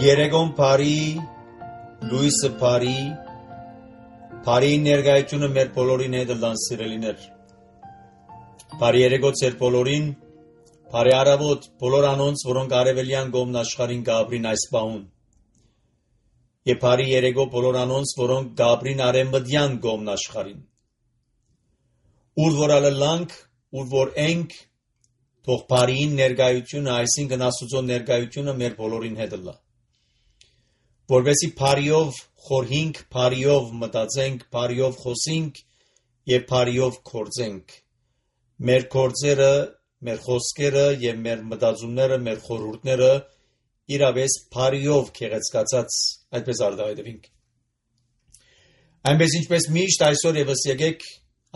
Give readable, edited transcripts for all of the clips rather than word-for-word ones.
Երեգոն բարի, լույսը բարի, բարի ներկայությունը մեր բոլորին հետ լան սիրելիներ։ Բարի երեգո ձեր բոլորին, բարի առավոտ բոլոր անոնց, որոնք արևելյան կողմն աշխարհին գաբրին այս պահուն։ Եվ բարի երեգո բոլոր անոնց, որոնք գաբրին արևմտյան կողմն աշխարհին։ Ուր որ ալլանք, ուր որ ենք, թող բարիին ներկայությունը, այսինքն Աստծո ներկայությունը մեր բոլորին հետ լա։ Որովհետեւ բարիով խորհինք, բարիով մտածենք, բարիով խոսենք եւ բարիով գործենք։ Մեր գործերը, մեր խոսքերը եւ մեր մտածումները, մեր խորհուրդները իրավես բարիով քեղեցկացած այդպես արտահայտվենք։ Այնպես ինչպես միշտ այսօր եւս եկեք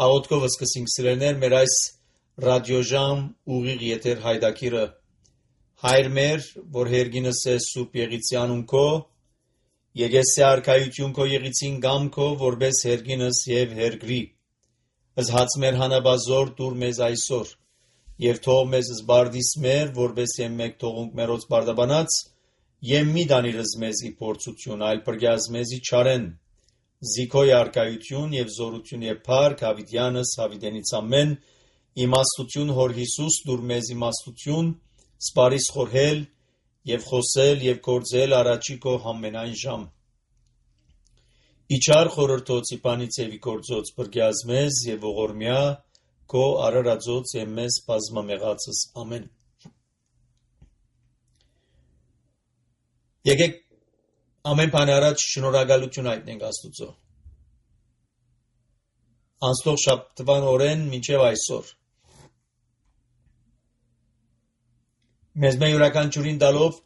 աղոթքով սկսենք սիրելիներ մեր այս ռադիոժամ ուղիղ եթեր հայդակիրը հայր մեր, որ հերգինս է սուրբ եղիցյանուն քո Եկեսե արքայություն քո եղիցին գամքո որպես հերգինս եւ հերգրի ըս հաց մեր հանաբազոր դուր մեզ այսօր եւ թող մեզ զբարդիս մեր որպես եւ մեկ թողունք մերոց բարդաբանած եւ մի դանիրս մեզի փորձություն այլ բրգյազ մեզի չարեն զիքոյ արքայություն եւ զորություն եւ փառք հավիտյանս հավիտենից ամեն իմաստություն հոր Հիսուս դուր մեզ իմաստություն սպարիս խորհել եւ խոսել եւ գործել առաջի քո ամենայն ժամ Իչար խորհրդոցի բանից եւ գործոց բրգյազ մեզ եւ ողորմյա քո արարածոց եւ մեզ բազմամեղածս ամեն Եկեք ամեն բան առաջ շնորհակալություն հայտնենք Աստծո Անցող շաբթվան օրեն մինչև այսօր Մեզ մեր յուրաքանչյուրին տալով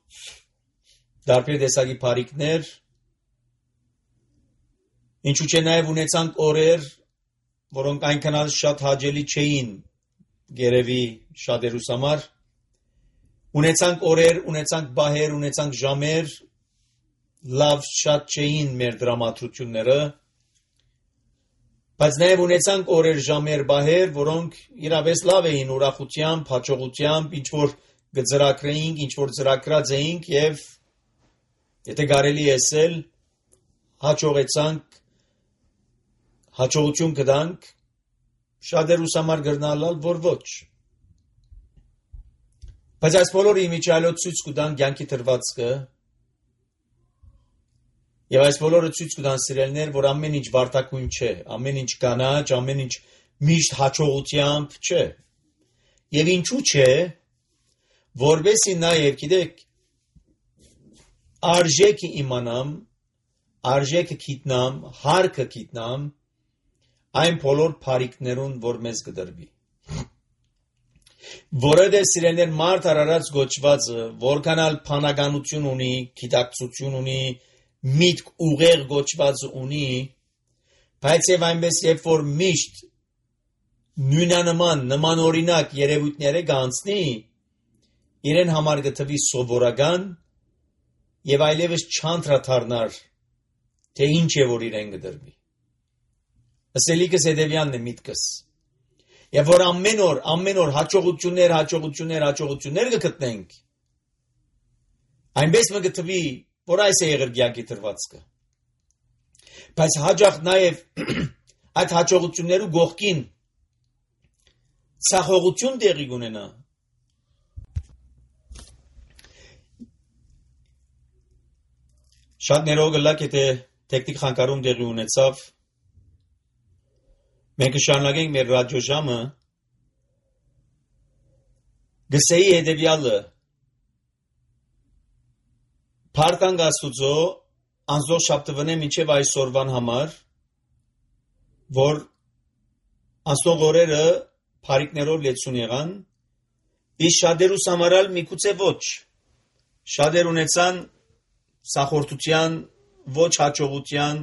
դարբեր տեսակի բարիքներ ինչու՞ չէ նաև ունեցանք օրեր որոնք այնքան շատ հաճելի չէին գերեւի շատերուս համար ունեցանք օրեր ունեցանք բահեր ունեցանք ժամեր լավ շատ չէին մեր դրամատրությունները բայց նաև ունեցանք օրեր ժամեր բահեր որոնք իրավես լավ էին ուրախությամբ հաջողությամբ ինչ որ գծրակրեինք, ինչ-որ ծրակրած էինք և եթե կարելի էսել հաջողեցանք, հաջողություն կդանք, շատերուս համար գրնալալ, որ ոչ։ Բայց այս բոլորը իմիջայլոց ցույց կտան կյանքի թրվածքը և այս բոլորը ցույց կտան սիրելիներ, որ ամեն ինչ վարտակույն չէ, ամեն ինչ կանաչ, ամեն ինչ միշտ հաջողությամբ չէ։ Եվ ինչու՞ չէ, որբեսի նաև գիտեք արժեքը իմանամ, արժեքը գիտնամ, հարկը գիտնամ այն բոլոր բարիքներուն, որ մեզ կդրվի։ Որովհետև սիրելիներ մարդ արարած գոչվածը, որքանալ բանականություն ունի, գիտակցություն ունի, միտք ուղեղ գոչվածը ունի, բայց եւ այնպես երբ որ միշտ նույնանման օրինակ երևույթները կանցնի իրեն համար գտվի սովորական եւ այլևս չանդրադառնար թե ինչ է որ իրեն գդրվի ասելիքս հետեւյալն է միտքս եւ որ ամեն օր հաջողություններ կգտնենք այնպես մը գտվի որ այս է եղել կյանքի դրվածքը բայց հաջող նաեւ այդ հաջողություններու գողքին ցախողություն տեղի ունենա Շատ ներող գլակ եթե տեխնիկ խանգարում տեղի ունեցավ մենք կշարունակենք մեր ռադիոժամը գսեի հետևյալը Փառքանք Աստուծո անձող շաբթվանե մինչև այսօրվան համար որ անցող օրերը բարիքներով լեցուն եղան իսկ շատերուս համարալ միգուցե ոչ շատեր ունեցան սախորդության, ոչ հաջողության,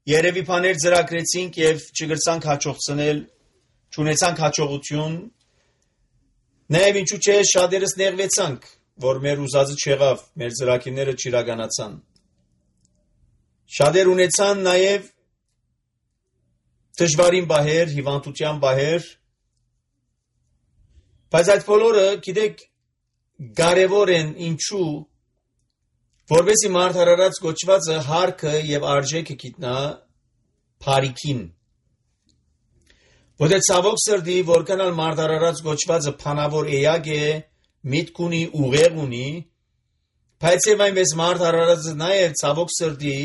երևի բաներ ծրագրեցինք և չգրցանք հաջողցնել, չունեցանք հաջողություն, նաև ինչու չէ շատերս նեղվեցանք, որ մեր ուզածը չեղավ, մեր ծրագիրները չիրականացան։ Շատեր ունեցան նաև դժվարին բահեր, հիվանդության բահեր, բայց այդ բոլորը, գիտեք, կարևոր են ինչու որովհետեւ մարդ արարած կոչվածը հարկը եւ արժեքը գիտնա բարիքին որտե ցավոք սրտի որքանալ մարդ արարած կոչվածը փանավոր էյակ է միտք ունի ուղեղ ունի բայց եւ այնպես մարդ արարածը նաեւ ցավոք սրտի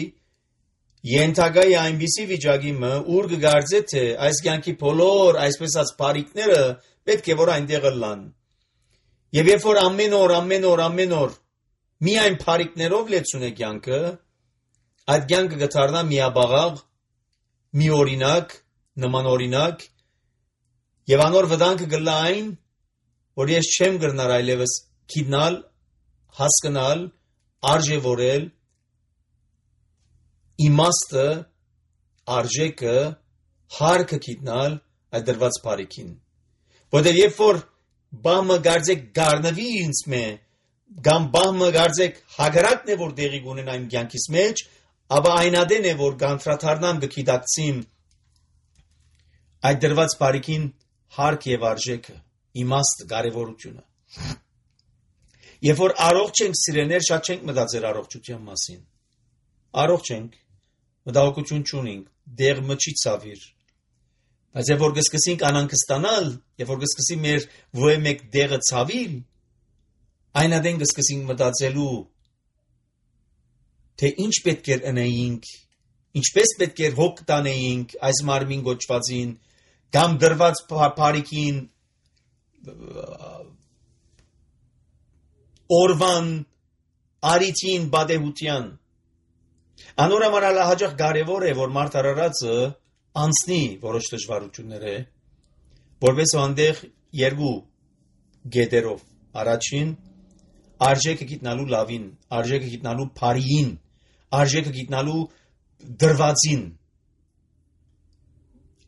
ենթակա է այնպիսի վիճակի մը ուր կգարձե թե այս կյանքի բոլոր այսպես ասած բարիքները պետք է որ այնտեղ լան եւ երբ որ ամեն օր միայն բարիքներով լեցուն է կյանքը այդ կյանքը կդառնա միաբաղաղ միօրինակ նմանօրինակ եւ անոր վտանգը գլա այն որ ես չեմ գրնար այլևս գիտնալ հասկանալ արժևորել իմաստը արժեքը հարկը գիտնալ այդ դրված բարիքին որտեղ երբ որ բամը գարձեք գառնվի ինձ մե կամ բամը գարձեք հագարակն է որ դեղի գունեն այն կյանքից մեջ ապա այնադեն է որ գանտրաթարնամ գիտակցիմ այդ դրված բարիքին հարկ եւ արժեքը իմաստ կարեւորությունը երբ որ առողջ ենք սիրեներ շատ չենք մտածել առողջության մասին առողջ ենք մտահոգություն չունենք դեղ մչի ցավիր բայց երբ որ կսկսենք անհանգստանալ երբ որ կսկսի մեր ոյ մեկ դեղը ցավիլ այնադեն կսկսենք մտածելու թե ինչ պետք է անեինք ինչպես պետք է հոգ տանեինք այս մարմին գոչվածին կամ դրված բարիքին օրվան արիթին բադեհության անորամարալ հաջող կարևոր է որ մարդ արարածը անցնի որոշ դժվարություններ է որպես այնտեղ երկու գետերով առաջին արժեքը գիտնալու լավին արժեքը գիտնալու բարիին արժեքը գիտնալու դրվածին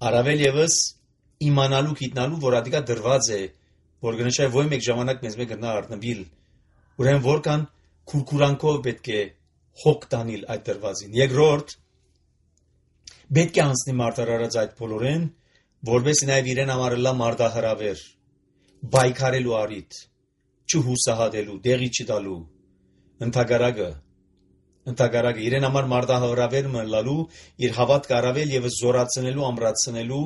առավել եւս իմանալու գիտնալու որ ադիկա դրված է որ գնշայ ոյ մեկ ժամանակ մեզ մեկ գնա առնվիլ ուրեմն որքան քուրքուրանքով պետք է հոգ տանիլ այդ դրվածին երկրորդ պետք է անցնի մարտարարած այդ բոլորեն որպես նաև իրեն համարելա մարտահրավեր բայկարելու արիթ չհուսահատելու դեղի չտալու ընդհակառակը իրեն համար մարտահրավեր մնալու իր հավատքը առավել եւ զորացնելու ամրացնելու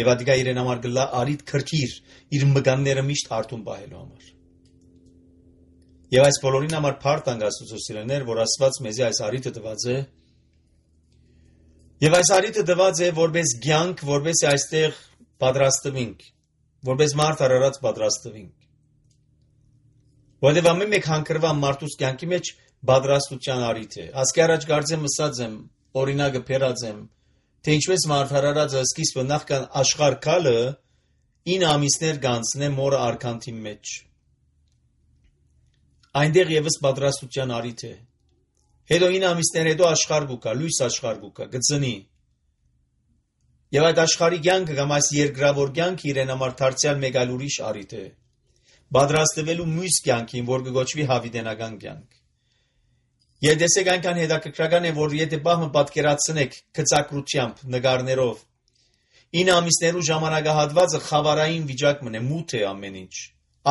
եւ ադիկա իրեն համար գլա արիթ քրքիր իր մգանները միշտ հարթում պահելու համար եւ այս բոլորին համար փառք տանք Աստծո սիրելիներ որ Աստված մեզի այս արիթը տված է եւ այս արիթը տված է որպես կյանք որպես այստեղ պատրաստվենք որպես մարդ արարած պատրաստվենք որովհետև ամեն մեկ հանգրվան մարդուս կյանքի մեջ պատրաստության արիթ է ասկի առաջ կարծեմ ասած եմ օրինակը փերած եմ թե ինչպես մարդ արարածը սկիզբը նախքան աշխարհ քալը 9 ամիսներ կանցնե մորը արքանթի մեջ այնտեղ եւս պատրաստության արիթ է հետո 9 ամիսներ հետո աշխարհ գուկա լույս աշխարհ գուկա գծնի եւ այդ աշխարհի կյանքը կամ այս երկրավոր կյանքը իրեն համար դարձյալ մեկ այլ ուրիշ արիթ է պատրաստվելու մյուս կյանքին որ կգոչվի հավիտենական կյանք եւ դեսեք այնքան հետաքրքրական է որ եթե բահմը պատկերացնեք գծակրությամբ նկարներով 9 ամիսներու ժամանակահատվածը խավարային վիճակ մնե մութ է ամեն ինչ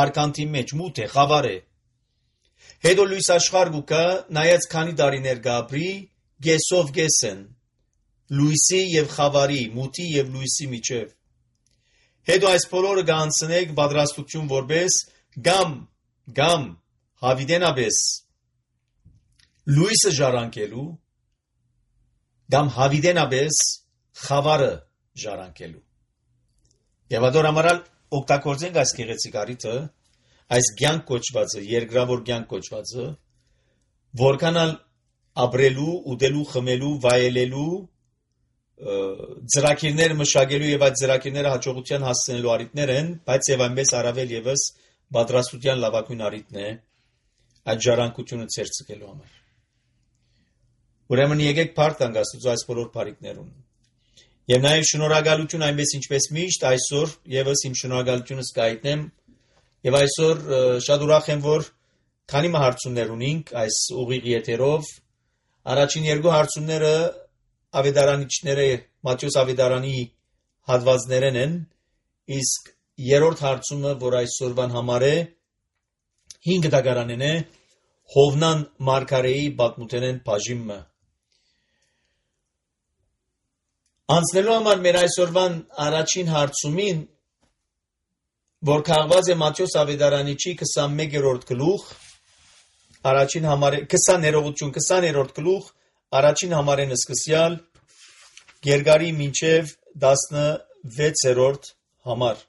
արքանթի մեջ մութ է խավար է հետո լույս աշխարհ գուկա նայած քանի տարիներ գաբրի գեսով գեսեն լույսի եւ խավարի մութի եւ լույսի միջև հետո այս բոլորը կանցնեք պատրաստություն որպես գամ հավիտենաբես լույսը ժառանգելու կամ հավիտենաբես խավարը ժառանգելու եւ ադոր ամարալ օգտագործենք այս գեղեցիկ արիթը այս կյանք կոչվածը երկրավոր կյանք կոչվածը որքանալ ապրելու ուտելու խմելու վայելելու ծրագիրներ մշակելու եւ այդ ծրագիրները հաջողության հասցնելու արիթներ են բայց եւ այնպես առավել եւս պատրաստության լավագույն արիթն է այդ ժառանգությունը ցերծելու համար ուրեմն եկեք փառք տանք Աստծո այս բոլոր բարիքներուն եւ նաեւ շնորհակալություն այնպես ինչպես միշտ այսօր եւս իմ շնորհակալությունս կայտնեմ եւ այսօր շատ ուրախ եմ որ քանի հարցումներ ունենք այս ուղիղ եթերով առաջին երկու հարցումները ավետարանիչները Մատթեոս ավետարանի հատվածներն են իսկ երրորդ հարցումը որ այսօրվան համար է 5 դագարանն է Հովնան Մարգարեի պատմութենեն բաժիմը։ Անցնելու համար մեր այսօրվան առաջին հարցումին, որ քաղված է Մատթեոս Ավետարանիչի 21-րդ գլուխ, առաջին համար 20-րդ գլուխ, առաջին համարեն սկսյալ, Գերգարի մինչև 16-րդ համար։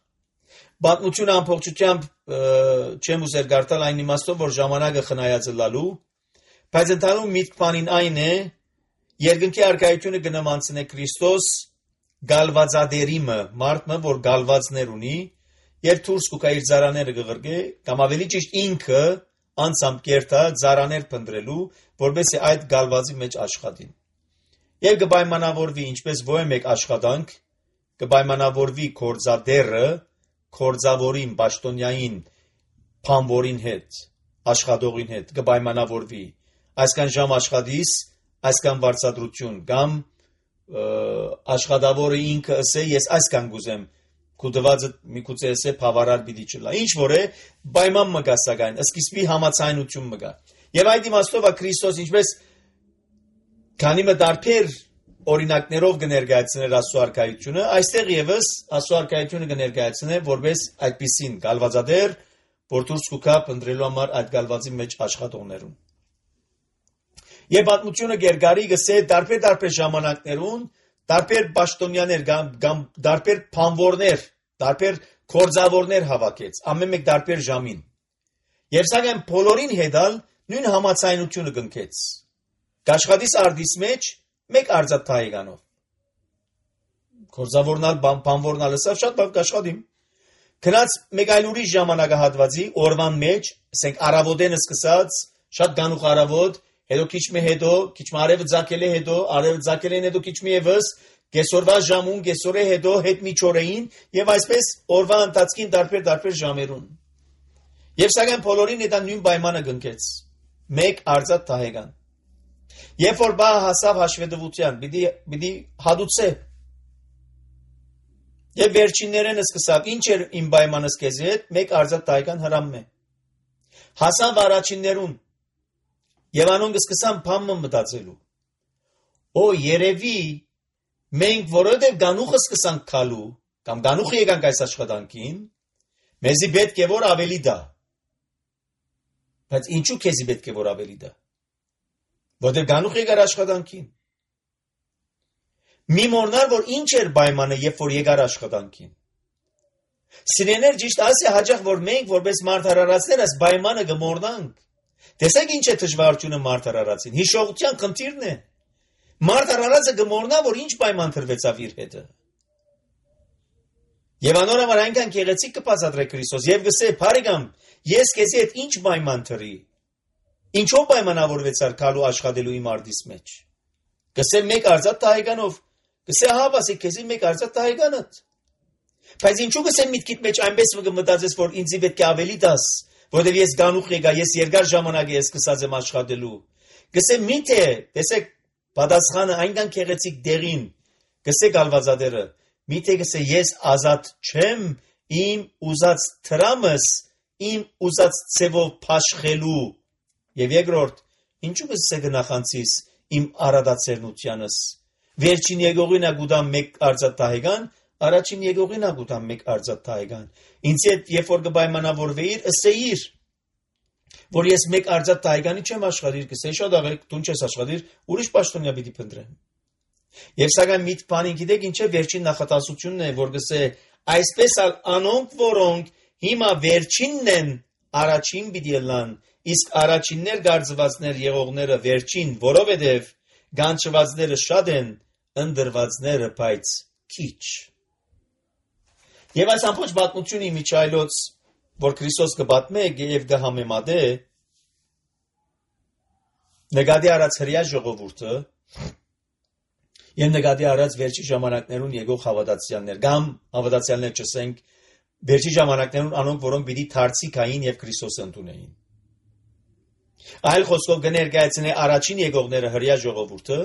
Պատմությունը ամբողջությամբ չեմ ուզեր գարտալ այն իմաստով, որ ժամանակը խնայածը լալու, բայց ընդհանուր միտքին այն է, երկնքի առկայությունը գնամանցնե Քրիստոս գալվածադերիմը, մարդը, որ գալվածներ ունի, եւ դուրս կուկա իր ծարաները գղրգե, կամ ավելի ճիշտ ինքը անցամբ կերտա ծարաներ փնտրելու, որպես այդ գալվածի մեջ աշխատին։ Եվ կպայմանավորվի ինչպես ոչ մեկ աշխատանք, կպայմանավորվի կորձադերը կորձավորին, պաշտոնյային, փամվորին հետ, աշխատողին հետ, կպայմանավորվի, այսքան ժամ աշխատիս, այսքան վարձատրություն, կամ աշխատավորը ինքը ասե, ես այսքան գուզեմ, կուտվածը միգուցե ասե բավարար պիտի չլա։ Ինչ որ է, պայման մը գա սակայն, սկիզբի համաձայնություն մը գա։ Եվ այդ իմաստով է Քրիստոս ինչպես քանի մը դարբեր օրինակներով կներկայացնել Աստծո արքայությունը, այստեղ եւս Աստծո արքայությունը կներկայացնե որպես այդպիսին գալվածադեր, որ դուրս կուքա փնտրելու համար այդ գալվածի մեջ աշխատողներուն։ Եվ պատմությունը Գերգարի գսե դարբեր ժամանակներուն, դարբեր պաշտոնյաներ կամ դարբեր փամվորներ, դարբեր կորձավորներ հավաքեց, ամեն մեկ դարբեր ժամին։ Եվ սակայն բոլորին հետալ նույն համաձայնությունը կնքեց։ Կաշխատիս արդիս մեջ մեկ արձատայգանով։ Կորձավորնալ, փամվորնալ ասավ շատ բավ կաշխատիմ։ Քնած մեկ այլ ուրիշ ժամանակահատվածի օրվան մեջ, ասենք առավոտեն սկսած, շատ գանուխ առավոտ, հետո քիչ արևը ձակել է հետո, արևը ձակելեն հետո քիչ մի եւս, կեսօրվա ժամուն, կեսօրե հետո, հետ միջօրեին, եւ այսպես օրվա ընթացքին դարբեր ժամերուն։ Եվ սակայն բոլորին դա նույն պայմանը կնքեց։ Մեկ արձատայգան։ Երբ որ բա հասավ հաշվետվության, պիտի հադուցե։ Եվ վերջիններեն սկսավ, ինչ էր իմ պայմանս քեզի հետ, մեկ արձատայգան հրամն է։ Հասավ առաջիններուն։ Եվ անոնք սկսան փամը մտածելու։ Օ, երևի մենք որովհետև գանուխը սկսանք քալու, կամ գանուխը եկանք այս աշխատանքին, մեզի պետք է որ ավելի դա։ Բայց ինչու քեզի պետք է որ ավելի դա։ Որտեղ գանուխ եկար աշխատանքին։ Մի մորնար, որ ինչ էր պայմանը, երբ որ եկար աշխատանքին։ Սիրեներ ճիշտ ասի հաջող, որ մենք որպես մարդարարածներ այս պայմանը կմորնանք։ Տեսեք ինչ է դժվարությունը մարդարարածին։ Հիշողության խնդիրն է։ Մարդարարածը կմորնա, որ ինչ պայման տրվեցավ իր հետը։ Եվ անորոմար այնքան գեղեցիկ կբացատրե Քրիստոս եւ գսե, «Բարեկամ, ես քեզի հետ ինչ պայման տրի»։ Ինչով պայմանավորվեցար քալու աշխատելու իմ արդիս մեջ։ Գսե մեկ արձատայգանով, գսե հա բասի քեզի մեկ արձատայգանդ։ Բայց ինչու գսե միտքիդ մեջ այնպես մտածես, որ ինձի պետք է ավելի դաս, որովհետև ես գանուխ եկա, ես երկար ժամանակ ես սկսած եմ աշխատելու։ Գսե միթե, տեսեք, պատասխանը այնքան գեղեցիկ դերին, գսե գալվածադերը, միթե գսե ես ազատ չեմ իմ ուզած տրամս, իմ ուզած ցևով փաշխելու։ Եվ երկրորդ, ինչու գսե գնախանցիս իմ արադացերնությանս։ Վերջին եկողին ագուտամ մեկ արձատայգան, առաջին եկողին ագուտամ մեկ արձատայգան։ Ինձ հետ երբ որ կպայմանավորվեիր, ըսեիր, որ ես մեկ արձատայգանի չեմ աշխատիր, կսեի շատ աղեք, դու չես աշխատիր, ուրիշ պաշտոնյա պիտի փնտրեմ։ Եվ սակայն միտ բանին գիտեք ինչ է վերջին նախատասությունն է, որ գսե այսպես անոնք, որոնք հիմա վերջինն են, առաջին պիտի լան, իսկ առաջիններ գարձվածներ եղողները վերջին, որովհետև գանչվածները շատ են, ընդրվածները բայց քիչ։ Եվ այս ամբողջ պատմությունը միջայլոց, որ Քրիստոս կպատմե եւ կհամեմատե, նկատի առած հրյա ժողովուրդը եւ նկատի առած վերջի ժամանակներուն եկող հավատացյալներ, կամ հավատացյալներ չսենք, վերջի ժամանակներուն անոնք, որոնք պիտի դարձիկային եւ Քրիստոսը ընդունեին։ Այլ խոսքով կներկայացնե առաջին եկողները հրյա ժողովուրդը,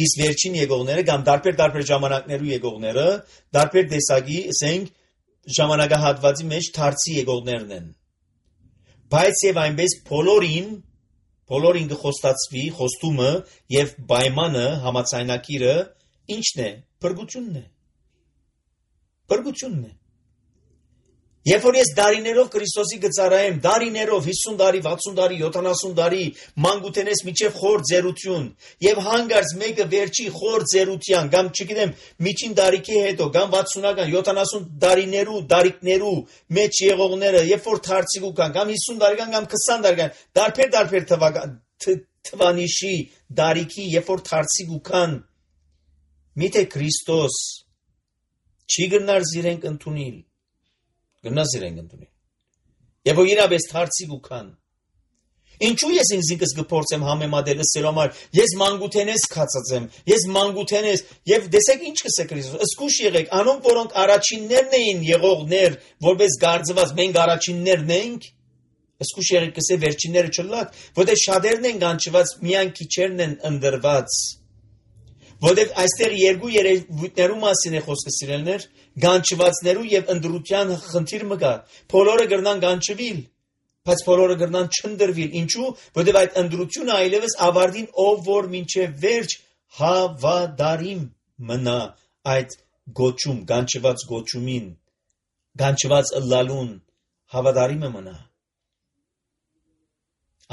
իսկ վերջին եկողները կամ դարբեր ժամանակներու եկողները, դարբեր տեսակի, ասենք, ժամանակահատվածի մեջ դարձի եկողներն են։ Բայց եւ այնպես բոլորին բոլորին կխոստացվի, խոստումը եւ պայմանը, համաձայնակիրը ինչն է? Փրկությունն է։ Երբ որ ես դարիներով Քրիստոսի գծարայեմ, դարիներով 50 տարի, 60 տարի, 70 տարի մանկութենես միջև խոր ձերություն եւ հանգարց մեկը վերջի խոր ձերության, կամ չգիտեմ, միջին տարիքի հետո, կամ 60-ական, 70 տարիներու, դարիքներու մեջ եղողները, երբ որ դարձիկու կան, կամ 50 տարեկան, կամ 20 տարեկան, դարբեր թվանիշի դարիքի, երբ որ դարձիկու կան, միթե Քրիստոս չի գնար զիրենք ընդունիլ։ Գնաց իրենք ընդունի։ Եվ որ իրապես դարձիկ ու կան։ Ինչու ես ինձնս կփորձեմ համեմատել ասելու համար, ես մանկութենես քացած եմ, ես մանկութենես, եւ տեսեք ինչ կսե Քրիստոս, ըսկուշ եղեք, անոնք որոնք առաջիններն էին եղողներ, որպես գարձված, մենք առաջիններն ենք, ըսկուշ եղեք կսե վերջինները չլակ, որտեղ շատերն են կանչված, միայն քիչերն են ընդրված։ Որտեղ այստեղ երկու երևույթներու մասին է խոսքը սիրելներ, գանչվածներու եւ ընդրության խնդիր մը կա։ Բոլորը գրնան գանչվիլ, բայց բոլորը գրնան չընդրվիլ։ Ինչու՞, որտեղ այդ ընդրությունը այլևս ավարտին ով որ մինչև վերջ հավատարիմ մնա այդ գոչում, գանչված գոչումին, գանչված ըլլալուն հավատարիմ մնա։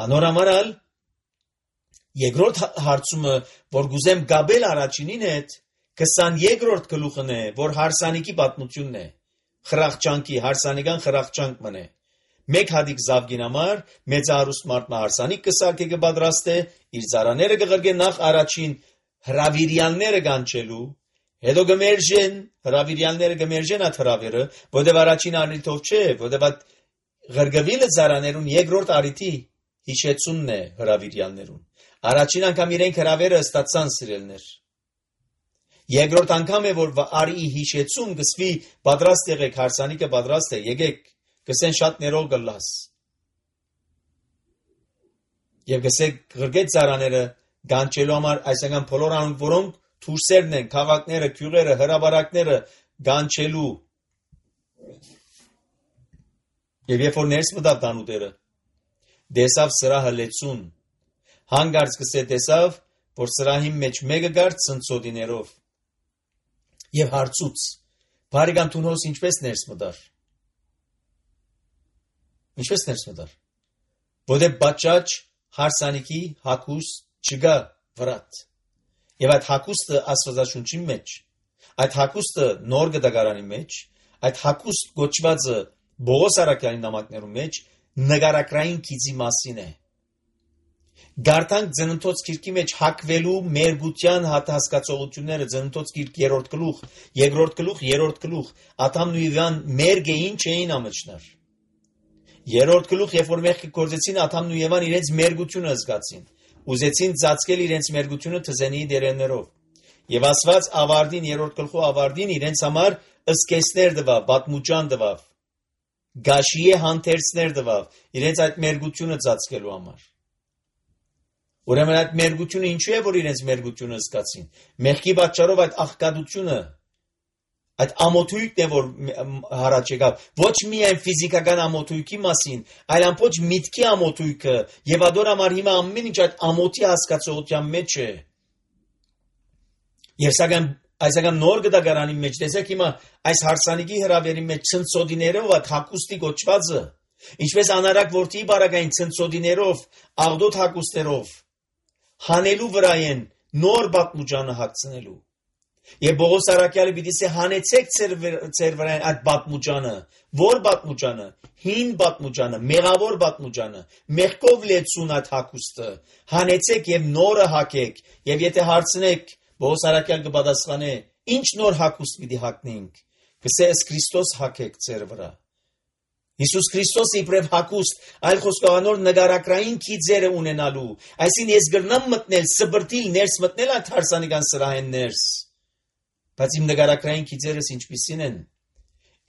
Անորամարալ երկրորդ հարցումը, որ գուզեմ գաբել առաջինին հետ, 22-րդ գլուխն է, որ հարսանիքի պատմությունն է, խրախճանքի, հարսանիքան խրախճանք մն է։ Մեկ հատիկ զավգին համար, մեծահարուստ մարդը հարսանիք կսարքե կպատրաստե, իր ծառաները կղրգե նախ առաջին հրավիրյալները կանչելու, հետո գմերժեն, հրավիրյալները գմերժեն այդ հրավերը, որտեղ առաջին արնիթով չէ, որտեղ այդ ղրգվիլը ծառաներուն երկրորդ արիթի հիշեցունն է հրավիրյալներուն։ Առաջին անգամ իրենք հրավերը ստացան սիրելներ։ Երկրորդ անգամ է, որ արի հիշեցում գսվի պատրաստ եղեք, հարսանիքը պատրաստ է, եկեք, գսեն շատ ներող գլաս։ Եվ գսեք գրգետ ծառաները գանչելու համար այսինքն բոլոր անոնք, որոնք թուրսերն են, քաղաքները, քյուղերը, հրաբարակները գանչելու։ Եվ երբ որ ներս մտավ տանուտերը, դեսավ սրահը լեցուն, հանգարց կսե տեսավ, որ սրահի մեջ մեկը գար ցնցոդիներով եւ հարցուց, բարեկամ Թունոս ինչպես ներս մտար։ Ինչպես ներս մտար։ Որտե բաճաճ հարսանիքի հակուստ չգա վրատ։ Եվ այդ հակուստը Աստվածաշունչի մեջ, այդ հակուստը նոր գդագարանի մեջ, այդ հակուստ գոչվածը Բողոս Արաքյալի նամակներու մեջ նկարակրային քիծի մասին է։ Գարտանք ծննդոց գիրքի մեջ հակվելու մերգության հասկացողությունները ծննդոց գիրք 3-րդ գլուխ, 2-րդ գլուխ, 3-րդ գլուխ, Ադամն ու Եվան մերգեին չէին ամճնար։ 3-րդ գլուխ, երբ որ մեղքը գործեցին, Ադամն ու Եվան իրենց մերգությունը զգացին, ուզեցին ծածկել իրենց մերգությունը թզենի դերերներով։ Եվ Աստված ավարտին 3-րդ գլխու ավարտին իրենց համար ըսկեսներ տվավ, պատմուճան տվավ, գաշիե հանդերձներ տվավ, իրենց այդ մերգությունը ծածկելու համար։ Ուրեմն այդ մերգությունը ինչու է, որ իրենց մերգությունը զգացին։ Մեղքի պատճառով այդ աղքատությունը, այդ ամոթույքն է, որ հարաճ եկավ, ոչ միայն ֆիզիկական ամոթույքի մասին, այլ ամբողջ միտքի ամոթույքը, եւ ադոր համար հիմա ամեն ինչ այդ ամոթի հասկացողության մեջ է։ Եվ սակայն այսական նոր գդագարանի մեջ տեսեք հիմա այս հարսանիքի հրավերի մեջ ցնցոդիներով այդ հակուստի գոչվածը, ինչպես անարակ որդի բարակային ցնցոդիներով, աղդոտ հակուստերով հանելու վրա են նոր պատմուճանը հագցնելու։ Եվ Բողոս Արաքյալը պիտի ասե հանեցեք ձեր վրան այդ պատմուճանը, որ պատմուճանը, հին պատմուճանը, մեղավոր պատմուճանը, մեղքով լեցուն այդ հակուստը, հանեցեք եւ նորը հագեք, եւ եթե հարցնեք, Բողոս Արաքյալ կպատասխանե, ինչ նոր հակուստ պիտի հագնենք, կսե ըստ Քրիստոս հագեք ձեր վրա։ Հիսուս Քրիստոսը իբրև հակուստ, այլ խոսքանոր նգարակրային քիծերը ունենալու, այսին ես գրնամ մտնել, սբրտիլ ներս մտնել այդ հարսանիքան սրահեն ներս, բայց իմ նգարակրային քիծերս ինչպիսին են,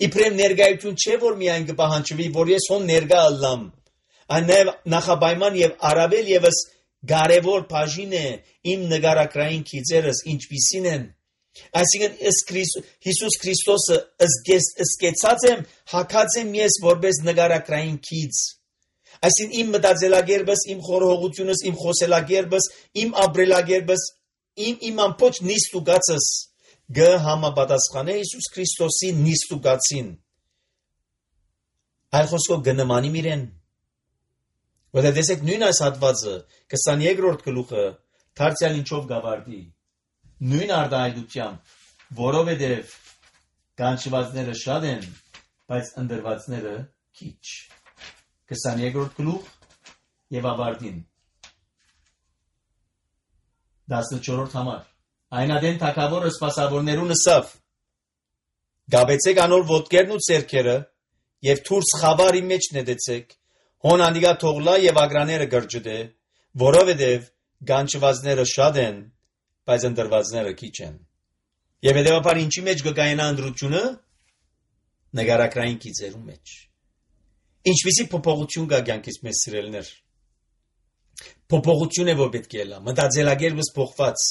իբրև ներգայություն չէ, որ միայն կպահանջվի, որ ես հոն ներգա ըլլամ, այն նաև նախաբայման եւ առավել եւս կարևոր բաժին է իմ նգարակրային քիծերս ինչպիսին են, այսինքն Հիսուս Քրիստոսը ըսկեցած եմ, հակած եմ ես որպես նգարակրային քիծ, Այսին իմ մտածելակերպս, իմ խորհողությունս, իմ խոսելակերպս, իմ ապրելակերպս, իմ ամբողջ նիստուկածս գհամապատասխանե Հիսուս Քրիստոսի նիստուկածին։ Այլ խոսքով գնմանի իրեն։ Որտեղ տեսեք նույն այս հատվածը 22-րդ գլուխը դարձյալ ինչով գավարտի։ Նույն արտահայտությամբ, որովհետև կանչվածները շատ են, բայց ընդրվածները քիչ։ 22-րդ գլուխ եւ ավարտին 14-րդ համար։ Այնադեն թագավորը սպասավորներուն ասավ. Գաբեցեք անոր ոտքերն ու ձեռքերը եւ թուրս խավարի մեջ նետեցեք, հոն անդիգա թողլա եւ ագրաները գրջդե, որովհետեւ գանչվածները շատ են, բայց ընդրվածները քիչ են։ Եվ հետեւաբար ինչի մեջ կգայնա ընդրությունը նկարակրային գիծերու մեջ։ Ինչպիսի փոփոխություն կա կյանքից մեզ սիրելիներ։ Փոփոխություն է որ պետք է լա, մտածելակերպս փոխված,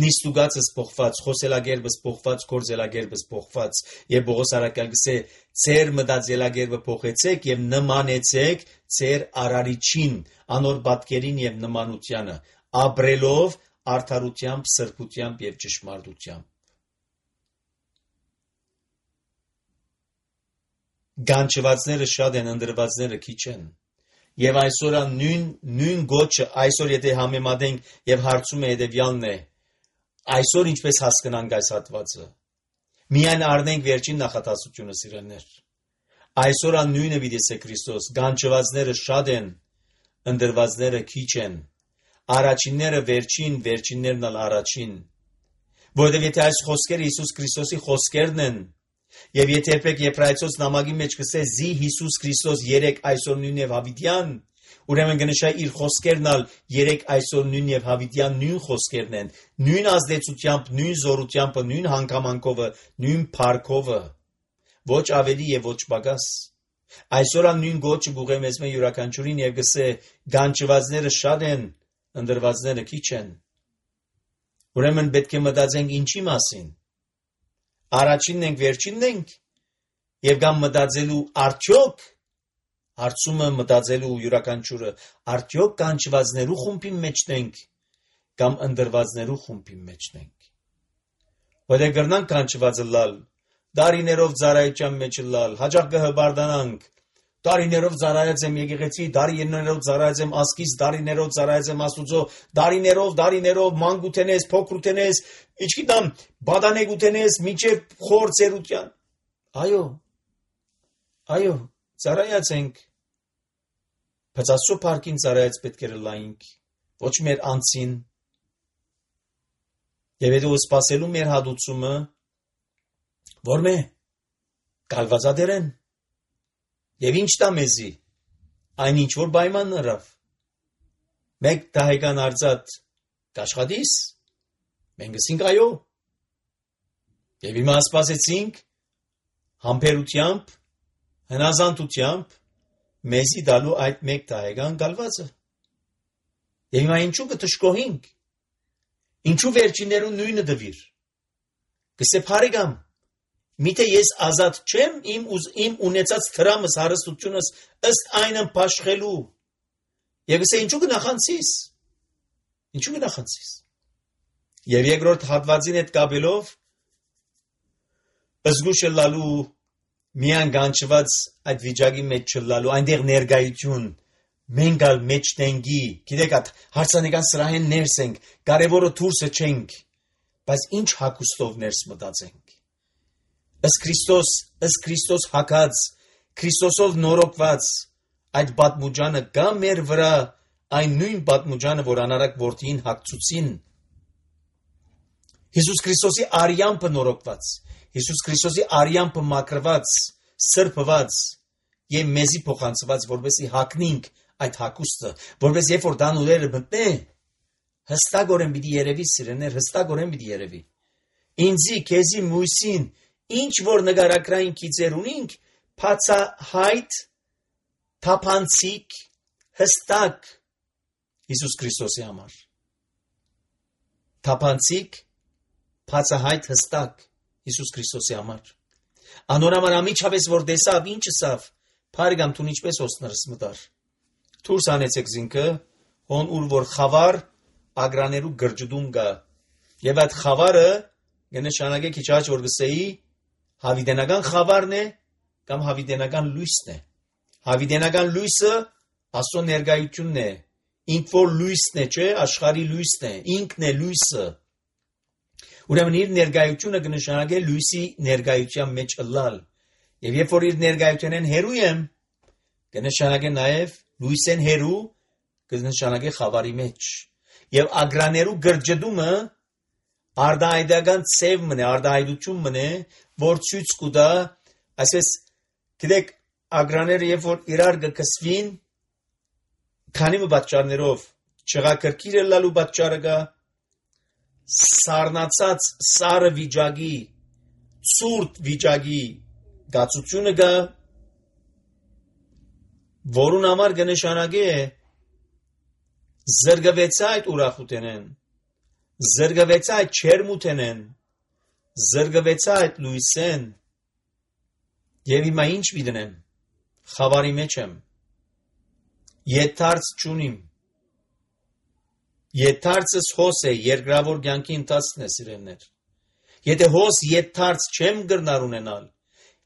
նիստուկածս փոխված, խոսելակերպս փոխված, գործելակերպս փոխված, եւ Պողոս առաքյալ գսե ձեր մտածելակերպը փոխեցեք եւ նմանեցեք ձեր արարիչին, անոր պատկերին եւ նմանությանը, ապրելով արդարությամբ, սրբությամբ եւ ճշմարտությամբ։ Գանչվածները շատ են, ընդրվածները քիչ են։ Եվ այսօր նույն գոչը, այսօր եթե համեմատենք եւ հարցում է հետեւյալն է, այսօր ինչպես հասկանանք այս հատվածը։ Միայն առնենք վերջին նախատասությունը սիրելիներ։ Այսօր նույնը վիդեսե Քրիստոս, գանչվածները շատ են, ընդրվածները քիչ են։ Առաջինները վերջին, վերջիններն ալ առաջին։ Որովհետև եթե այս խոսքերը Հիսուս Քրիստոսի խոսքերն են, եւ եթե երբեք Եբրայեցոց նամակի մեջ կսե զի Հիսուս Քրիստոս երեք այսօր նույն եւ հավիտյան, ուրեմն կնշա իր խոսքերն ալ երեք այսօր նույն եւ հավիտյան նույն խոսքերն են, նույն ազդեցությամբ, նույն զորությամբ, նույն հանգամանքով, նույն փառքով, ոչ ավելի եւ ոչ պակաս։ Այսօր նույն գոչը գուղե մեզ մե յուրաքանչյուրին եւ գսե գանչվածները շատ են, ընդրվածները քիչ են։ Ուրեմն պետք է մտածենք ինչի մասին։ Առաջինն ենք, վերջինն ենք եւ կամ մտածելու արդյոք հարցումը մտածելու յուրաքանչյուրը արդյոք կանչվածներու խումբի մեջն ենք կամ ընդրվածներու խումբի մեջն ենք։ Որտեղ գրնանք կանչվածը լալ, դարիներով ծառայության մեջ լալ, հաջող կհբարդանանք, դարիներով ծառայած եմ եկեղեցի, դարիներով ծառայած եմ ասկից, դարիներով ծառայած եմ Աստուծո, դարիներով մանկութենես, փոքրութենես, իչքիդամ բադանեգութենես, միջև խոր ծերության։ Այո, ծառայած ենք։ Բայց Աստծո փառքին ծառայած պետք է լայինք, ոչ մեր անձին։ Եվ հետո սпасելու մեր հադուցումը, որ մե կալվածադերեն։ Եվ ինչ տա մեզի, այն ինչ որ պայման նրավ, մեկ դահեկան արծատ կաշխատիս, մենք ասինք այո, և հիմա սպասեցինք համբերությամբ, հնազանդությամբ, մեզի դալու այդ մեկ դահեկան գալվածը, և հիմա ինչու կտշկոհինք, ինչու վերջիներուն նույնը դվիր, կսե փարեգամ, Միթե ես ազատ չեմ իմ ունեցած թրամս հարստությունս ըստ այնն փաշխելու։ Եվ ասե ինչու գնախանցիս։ Եվ երկրորդ հատվածին հետ կապելով զգուշ լալու միան գանչված այդ վիճակի մեջ չլալու այնտեղ ներկայություն մենք ալ մեջ տենգի գիտեք այդ հարցանեկան սրահեն ներս ենք կարևորը դուրսը չենք բայց ինչ հակոստով ներս մտածենք ըստ Քրիստոս հակած, Քրիստոսով նորոգված, այդ պատմուջանը կա մեր վրա այն նույն պատմուջանը, որ անարակ որդին հակցուցին։ Հիսուս Քրիստոսի արյամբը նորոգված, Հիսուս Քրիստոսի արյամբը մաքրված, սրբված եւ մեզի փոխանցված, որպեսզի հագնենք այդ հակոստը, որպես երբ որ դանուլերը մտնե, հստակորեն պիտի երևի սիրեներ, հստակորեն պիտի երևի։ Ինձի, քեզի, մույսին ինչ որ նկարակրային գիծեր ունենք, բացահայտ, թափանցիկ, հստակ Հիսուս Քրիստոսի համար։ Թափանցիկ, բացահայտ, հստակ Հիսուս Քրիստոսի համար։ Անոր համար ամիջապես որ տեսավ, ինչ ասավ, փարիգամ տուն ինչպես օսներս մտար։ Դուրս անեցեք զինքը, հոն ուր որ խավար ագրաներու գրջդում գա։ Եվ այդ խավարը կնշանակե քիչ առաջ որ գսեի հավիտենական խավարն է կամ հավիտենական լույսն է։ Հավիտենական լույսը Աստծո ներկայությունն է։ Ինք որ լույսն է, չէ, աշխարհի լույսն է, ինքն է լույսը։ Ուրեմն իր ներկայությունը կնշանակե լույսի ներկայության մեջ ըլլալ։ Եվ երբ որ իր ներկայությունեն հերու եմ, կնշանակե նաև լույսեն հերու, կնշանակե խավարի մեջ։ Եվ ագրաներու գրջդումը արդահայտական ցև մնե, արդահայտություն մնե, որ ցույց կտա, այսպես գիտեք, ագրաները երբ որ իրար կկսվին, քանի պատճառներով չղակրկիր լալու պատճառը կա, սառնացած սարը վիճակի, ցուրտ վիճակի գացությունը կա, որուն համար կնշանակե զրկվեցա այդ ուրախութենեն, զրկվեցա այդ չերմութենեն, զրկվեցա այդ լույսեն, եւ հիմա ինչ պիտենեմ, խավարի մեջ եմ, եթարց չունիմ, եթարցս հոս է, երկրավոր կյանքի ընթացքն է սիրելներ, եթե հոս եթարց չեմ գրնար ունենալ,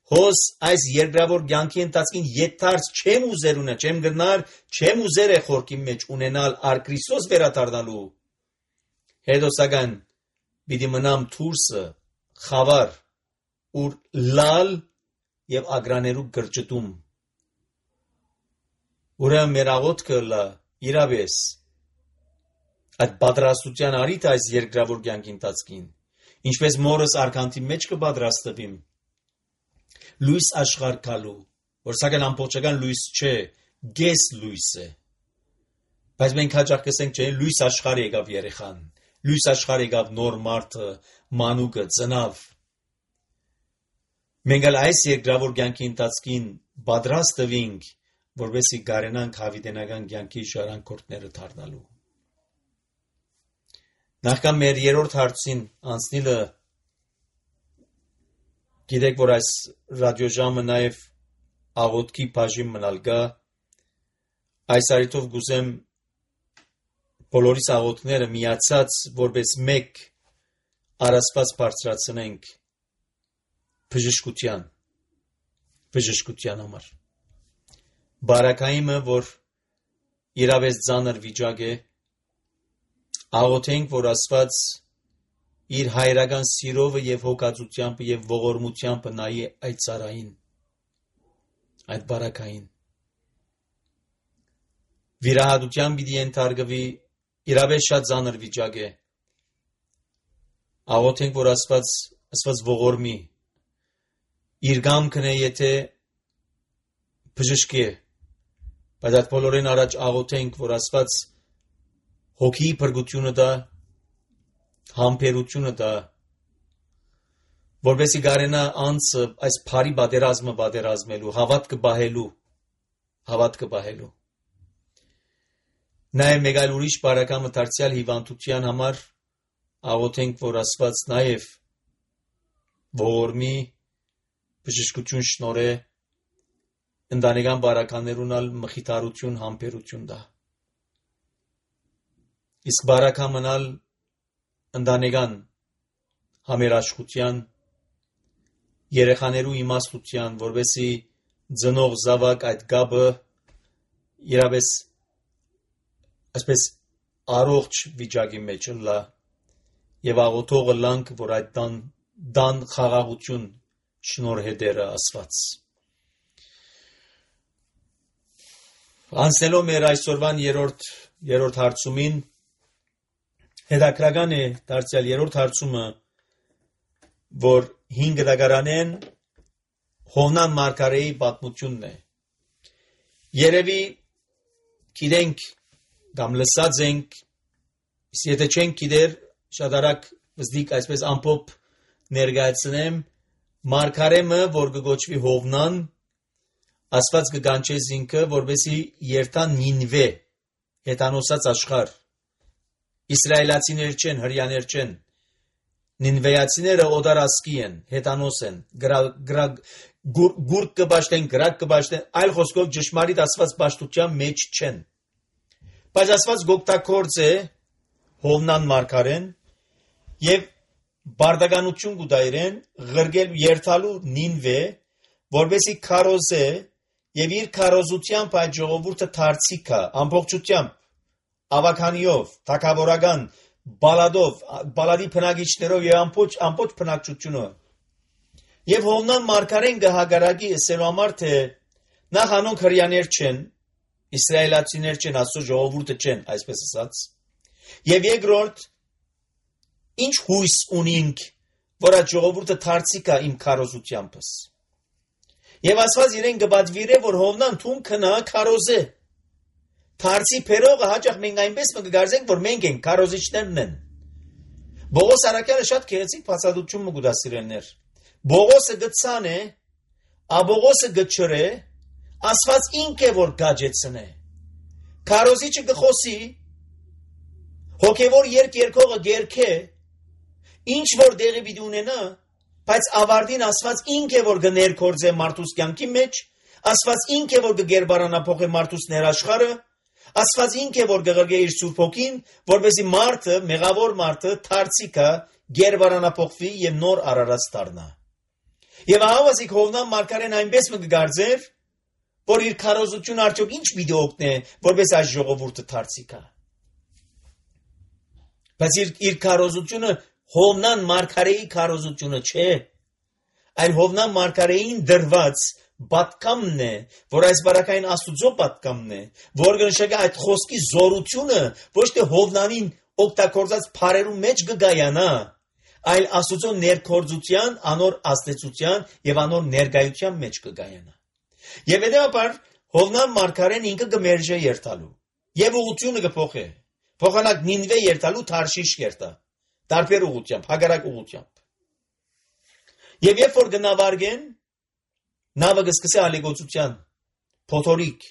հոս այս երկրավոր կյանքի ընթացքին եթարց չեմ ուզեր ունենալ, չեմ գրնար, չեմ ուզեր է խորքի մեջ ունենալ ար Քրիստոս վերադառնալու, հետո սակայն պիտի մնամ թուրսը, խավար, ուր լալ եւ ագրաներու գրջտում։ Ուրեմն մեր աղոթքը լա իրավես այդ պատրաստության արիթ այս երկրավոր կյանքի ընթացքին, ինչպես մորս արքանտի մեջ կպատրաստվիմ լույս աշխարհ գալու, որ սակայն ամբողջական լույս չէ, գես լույս է։ Բայց մենք հաճախ կսենք, չէ, լույս աշխարհ եկավ երեխան, լույս աշխարհ եկավ նոր մարդը, մանուկը, ծնավ։ Մենք այս երկրավոր կյանքի ընթացքին պատրաստվենք, որովհետեւ գարենանք հավիտենական կյանքի ժառանգորդները դառնալու։ Նախքան մեր երրորդ հարցին անցնելը գիտեք, որ այս ռադիոժամը նաև աղոթքի բաժին մնալ գա, այս արիթով գուզեմ բոլորիս աղոթքները միացած որպես մեկ առասպած բարձրացնենք բժշկության համար։ Բարակայինը, որ իրավես ծանր վիճակ է, աղոթենք, որ Աստված իր հայրական սիրով եւ հոգացությամբ եւ ողորմությամբ նայի այդ ցարային, այդ բարակային։ Վիրահատության պիտի ենթարկվի, իրավես շատ ծանր վիճակ է։ Աղոթենք, որ Աստված ողորմի, իր գամքն է, եթե բժշկի է, բայց այդ բոլորին առաջ աղոթենք, որ Աստված հոգի փրկությունը տա, համբերությունը տա, որպեսզի գարենա անձը այս բարի պատերազմը պատերազմելու, հավատքը պահելու։ Նաև մեկ այլ ուրիշ բարակամը դարձյալ հիվանդության համար աղոթենք, որ Աստված նաև ողորմի, բժշկություն շնորհե, ընտանեկան բարականներուն ալ մխիթարություն, համբերություն տա։ Իսկ բարակամնալ ընտանեկան համերաշխության, երեխաներու իմաստության, որովհետեւ ծնող զավակ այդ գաբը իրավես այսպես առողջ վիճակի մեջ լա եւ աղոթողը լանք, որ այդ դան խաղաղություն շնորհե դերը Աստված։ Անցնելով մեր այսօրվան երրորդ հարցումին, հետաքրական է դարձյալ երրորդ հարցումը, որ 5 դագարանեն Հովնան Մարգարեի պատմությունն է։ Երևի գիտենք կամ լսած ենք, եթե չենք գիտեր, շատ արագ վստիկ այսպես ամփոփ ներկայացնեմ, Մարգարեմը, որ կգոչվի Հովնան, Աստված կգանչե ինքը, որպեսզի երթան Նինվե, հետանոսած աշխարհ։ Իսրայելացիներ չեն, հրյաներ չեն։ Նինվեացիները օդարասկի են, հետանոս են, գուրկ կբաշտեն, գրակ կբաշտեն, այլ խոսքով ճշմարիտ Աստված պաշտության մեջ չեն։ Բայց Աստված գոկտակորձ է Հովնան մարգարեն եւ բարդականություն կուտայրեն ղրգել երթալու Նինվե, որբեսի քարոզե եւ իր քարոզությամբ այդ ժողովուրդը դարձիկա ամբողջությամբ ավականիով, թակավորական բալադով, բալադի բնակիչներով եւ ամբողջ բնակչությունով։ Եվ Հովնան մարգարեն գահագարագի ասելու համար թե նախ անոնք հրյաներ չեն, իսրայելացիներ չեն, Աստծո ժողովուրդը չեն, այսպես ասած։ Եվ երկրորդ, ինչ հույս ունենք, որ այդ ժողովուրդը դարձիկա իմ քարոզությամբս։ Եվ Աստված իրեն կբադվիրե, որ Հովնան թուն քնա քարոզե։ Դարձի փերողը հաճախ մենք այնպես կգարձենք, որ մենք ենք քարոզիչներն են։ Բողոս Արաքյալը շատ գեղեցիկ բացատրություն կուտա սիրելներ։ Բողոսը գծան է, աբողոսը գչրե, Աստված ինք է որ գաջեցնե։ Քարոզիչը գխոսի, հոգևոր երկողը գերքե, ինչ որ դեղի պիտի ունենա, բայց ավարտին Աստված ինք է որ կներկործե մարդուս կյանքի մեջ, Աստված ինք է որ կգերբարանափոխե մարդուս ներաշխարը, Աստված ինք է որ կղրգե իր Սուրբ Հոգին, որպեսզի մարդը, մեղավոր մարդը, դարձիկա գերբարանափոխվի եւ նոր արարած դառնա։ Եվ ահավասիկ Հովնան մարգարեն այնպես կգարձեր, որ իր քարոզությունը արդյոք ինչ պիտի օգնե, որպես այս ժողովուրդը դարձիկա։ Բայց իր քարոզությունը Հովնան մարգարեի քարոզությունը չէ, այլ Հովնան մարգարեին դրված պատկամն է, որ այս բարակային Աստուծո պատկամն է, որ կնշանակի այդ խոսքի զորությունը ոչ թե Հովնանին օգտագործած փարերու մեջ կգայանա, այլ Աստուծո ներկործության, անոր աստեցության եւ անոր ներկայության մեջ կգայանա։ Եվ հետեւաբար Հովնան մարգարեն ինքը կմերժե երթալու եւ ուղղությունը կփոխե։ Փոխանակ Նինվե երթալու Թարշիշ երթա, տարբեր ուղղությամբ, հագարակ ուղղությամբ։ Եվ երբ որ գնավարգեն, նավը կսկսի ալեգոցության, փոթորիկ։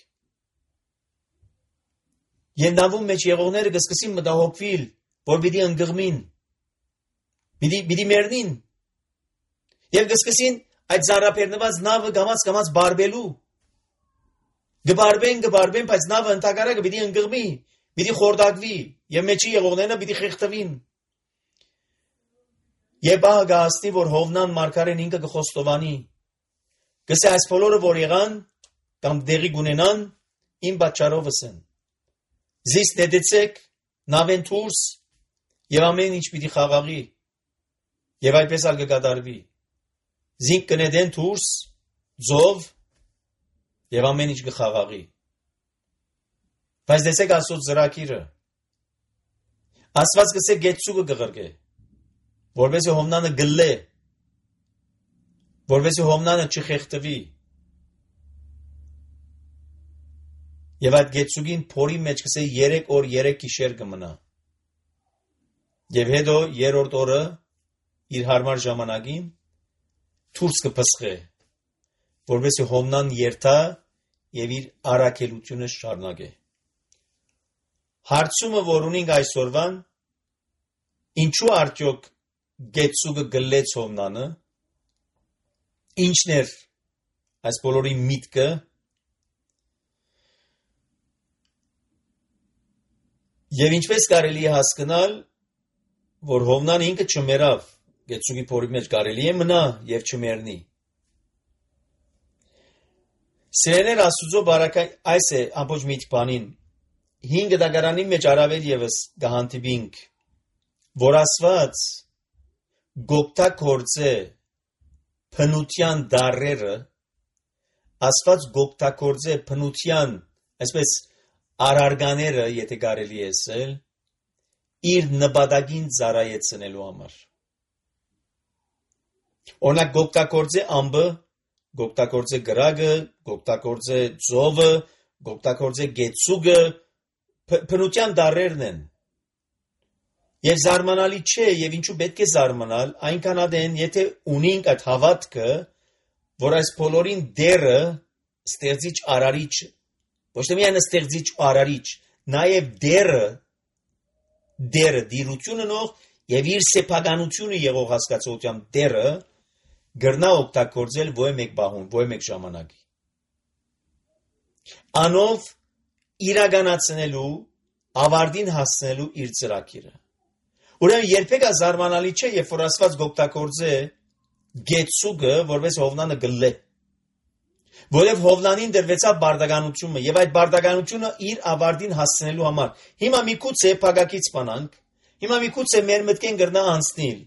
Եվ նավում մեջ եղողները կսկսին մտահոգվել, որ պիտի ընկղմին, պիտի մեռնին։ Եվ կսկսին այդ զարապերնված նավը գամած բարբելու։ Գբարբեն, բայց նավը ընդհակարակը պիտի ընկղմի, պիտի խորդակվի, եւ մեջի եղողները պիտի խեղդվին։ Եվ բահ գահստի, որ Հովնան մարգարեն ինքը կխոստովանի, գսե այս բոլորը որ եղան, կամ դեղի գունենան, իմ պատճառովս են։ Զիս նետեցեք, նավեն թուրս, եւ ամեն ինչ պիտի խաղաղի, եւ այդպես ալ կկատարվի։ Զինք կնետեն թուրս, ձով, եւ ամեն ինչ կխաղաղի։ Բայց դեսեք Աստծո ծրագիրը։ Աստված գսե գեցուկը կղրկե, որովհետեւ Հովնանը գլե, որովհետեւ Հովնանը չխեղդվի։ Եվ այդ գեցուկին փորի մեջ գսե 3 օր 3 գիշեր կմնա։ Եվ հետո երրորդ օրը իր հարմար ժամանակին թուրս կփսխե, որովհետեւ Հովնան երթա եւ իր առաքելությունը շարունակե։ Հարցումը, որ ունենք այսօրվան, ինչու արդյոք գեցուկը գլեց Հովնանը, ինչն էր այս բոլորի միտքը, եւ ինչպես կարելի է հասկանալ, որ Հովնանը ինքը չմեռավ, գեցուկի փորի մեջ կարելի է մնա եւ չմեռնի։ Սերներ Աստուծո բարակային այս է ամբողջ միջ բանին 5 դագարանի մեջ առավել եւս գահանտիբինք, որ Աստված գոկտակորձե փնության դարերը, Աստված գոկտակորձե փնության, այսպես արարգաները, եթե կարելի է ասել, իր նպատակին ծառայեցնելու համար։ Օրինակ գոկտակորձե ամբը, գոկտակորձե գրագը, գոկտակորձե ծովը, գոկտակորձե գեցուկը, փնության դարերն են։ Եվ զարմանալի չէ, եւ ինչու պետք է զարմանալ, այնքան ադեն, եթե ունենք այդ հավատքը, որ այս բոլորին դերը ստեղծիչ արարիչ, ոչ թե միայն ստեղծիչ արարիչ, նաեւ դերը դիրությունը նող եւ իր սեփականությունը եղող հասկացությամբ դերը գրնա օգտագործել ոչ մեկ բահուն, ոչ մեկ ժամանակի։ Անով իրականացնելու, ավարտին հասնելու իր ծրագիրը։ Ուրեմն երբեք զարմանալի չէ, երբ որ Աստված օգտագործե գեցուգը, որպես Հովնանը գլե։ Որև Հովնանին դրվեցավ բարդականությունը, եւ այդ բարդականությունը իր ավարտին հասնելու համար։ Հիմա միգուցե փակակից բանանք, հիմա միգուցե մեր մտքեն գրնա անցնել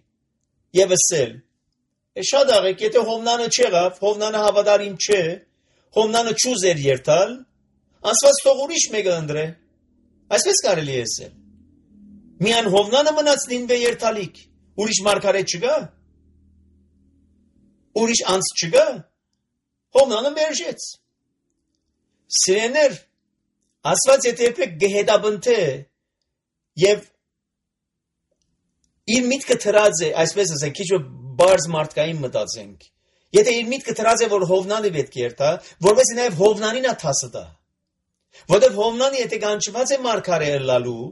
եւ ասել. շատ աղեք, եթե Հովնանը չեղավ, Հովնանը հավատարիմ չէ, Հովնանը չուզեր երթալ, Աստված թող ուրիշ մեկը ընտրե։ Այսպես կարելի է ասել։ Միան Հովնանը մնաց Նինվե երթալիք, ուրիշ մարգարետ չկա, ուրիշ անց չկա, Հովնանը մերժեց։ Սիրեներ, Աստված եթե երբեք գեհետաբնթե եւ իր միտքը թրած է, այսպես ասենք, քիչ բարձ մարդկային մտածենք։ Եթե իր միտքը թրած է, որ Հովնանը պետք է երթա, որովհետեւ նաեւ Հովնանին է թասը դա։ Որովհետեւ Հովնանը եթե գանչված է մարգարե լալու,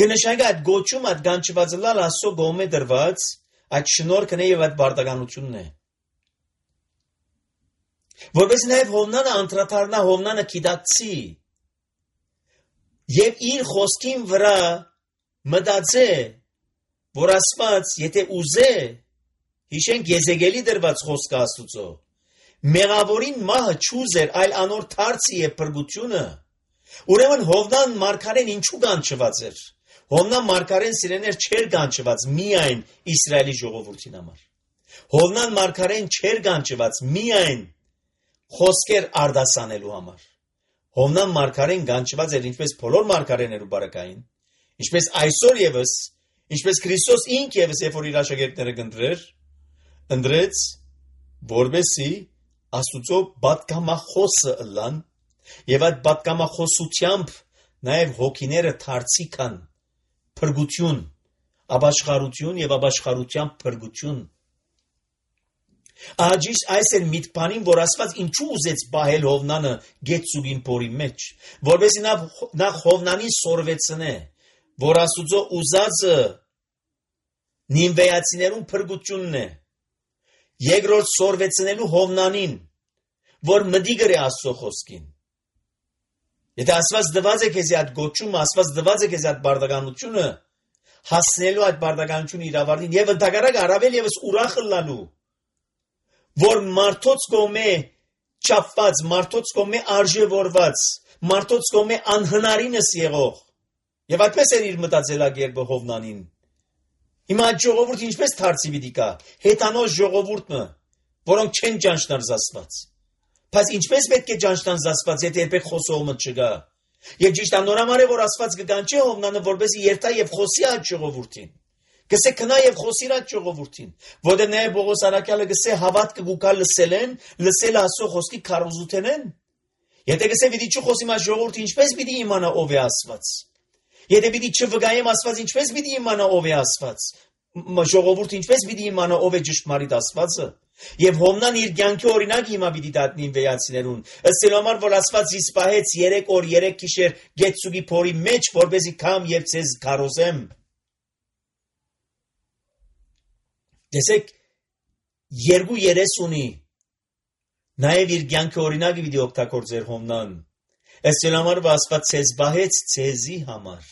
գնշագա այդ գոչում այդ գանչվածը լալ ասո գոմե դրված, այդ շնորհքն է եւ այդ բարդականությունն է։ Որովհետեւ նաեւ Հովնանը անդրադառնա, Հովնանը գիտակցի եւ իր խոսքին վրա մտածե, որ Աստված եթե ուզե, հիշենք Եզեկիելի դրված խոսքը Աստուծո, մեղավորին մահը չուզեր, այլ անոր թարցի է փրկությունը, ուրեմն Հովնան մարգարեն ինչու գանչված էր։ Հովնան մարգարեն սիրեներ չէր գանչված միայն Իսրայելի ժողովրդին համար։ Հովնան մարգարեն չէր գանչված միայն խոսքեր արդասանելու համար։ Հովնան մարգարեն գանչված էր ինչպես բոլոր մարգարեներու բարակային, ինչպես այսօր եւս, ինչպես Քրիստոս ինք եւս երբ որ իր աշակերտները ընտրեց, որբեսի Աստուծո պատգամախոսը ըլլան եւ այդ պատգամախոսությամբ նաեւ հոգիները դարձիկան փրկություն, ապաշխարություն եւ ապաշխարության փրկություն։ Աջիշ այս էր միտքանին, որ Աստված ինչու ուզեց բահել Հովնանը գեցուգին փորի մեջ, որովհետեւ նա Հովնանին սորվեցնե, որ Աստուծո ուզածը նինվեացիներուն փրկությունն է։ Երկրորդ սորվեցնելու Հովնանին, որ մտի գրե Աստծո խոսքին։ Եթե Աստված դված է քեզ այդ գոչումը, Աստված դված է քեզ այդ բարդականությունը, հասնելու այդ բարդականությունը իր ավարտին եւ ընդհանրակ առավել եւս ուրախ լալու, որ մարդոց կողմէ չափված, մարդոց կողմէ արժևորված, մարդոց կողմէ անհնարինս եղող։ Եվ այդպես էր իր մտածելակերպը Հովնանին։ Հիմա այդ ժողովուրդը ինչպես դարձի պիտի կա, հետանոց ժողովուրդը, որոնք չեն ճանչնար Աստված։ Բայց ինչպես պետք է ճանչնան Աստված, եթե երբեք խոսողը չկա։ Եվ ճիշտ անորամար է, որ Աստված կգանչի Հովնանը, որպեսզի երթա եւ խոսի այդ ժողովուրդին։ Գսե քնա եւ խոսի այդ ժողովուրդին, որտեղ նաեւ Պողոս Արաքյալը գսե հավատքը գուկալ լսել Աստծո խոսքի քարոզութենեն։ Եթե գսե պիտի չխոսի մա ժողովուրդը ինչպես պիտի իմանա ով է Աստված։ Եթե պիտի չվգայեմ Աստված, ինչպես պիտի իմանա ով է Աստված։ Ժողովուրդը ինչպես պիտի իմանա ով է ճշմարիտ Աստվածը։ Եվ Հովնան իր կյանքի օրինակ հիմա պիտի դատնին վեացիներուն։ Ըստ համար որ Աստված զիս պահեց 3 օր 3 գիշեր գեցուգի փորի մեջ, որպեսզի կամ եւ ցեզ քարոզեմ։ Տեսեք 2:30 ունի։ Նաեւ իր կյանքի օրինակը պիտի օգտագործեր Հովնան։ Ըստ համար որ Աստված ցեզ պահեց ցեզի համար։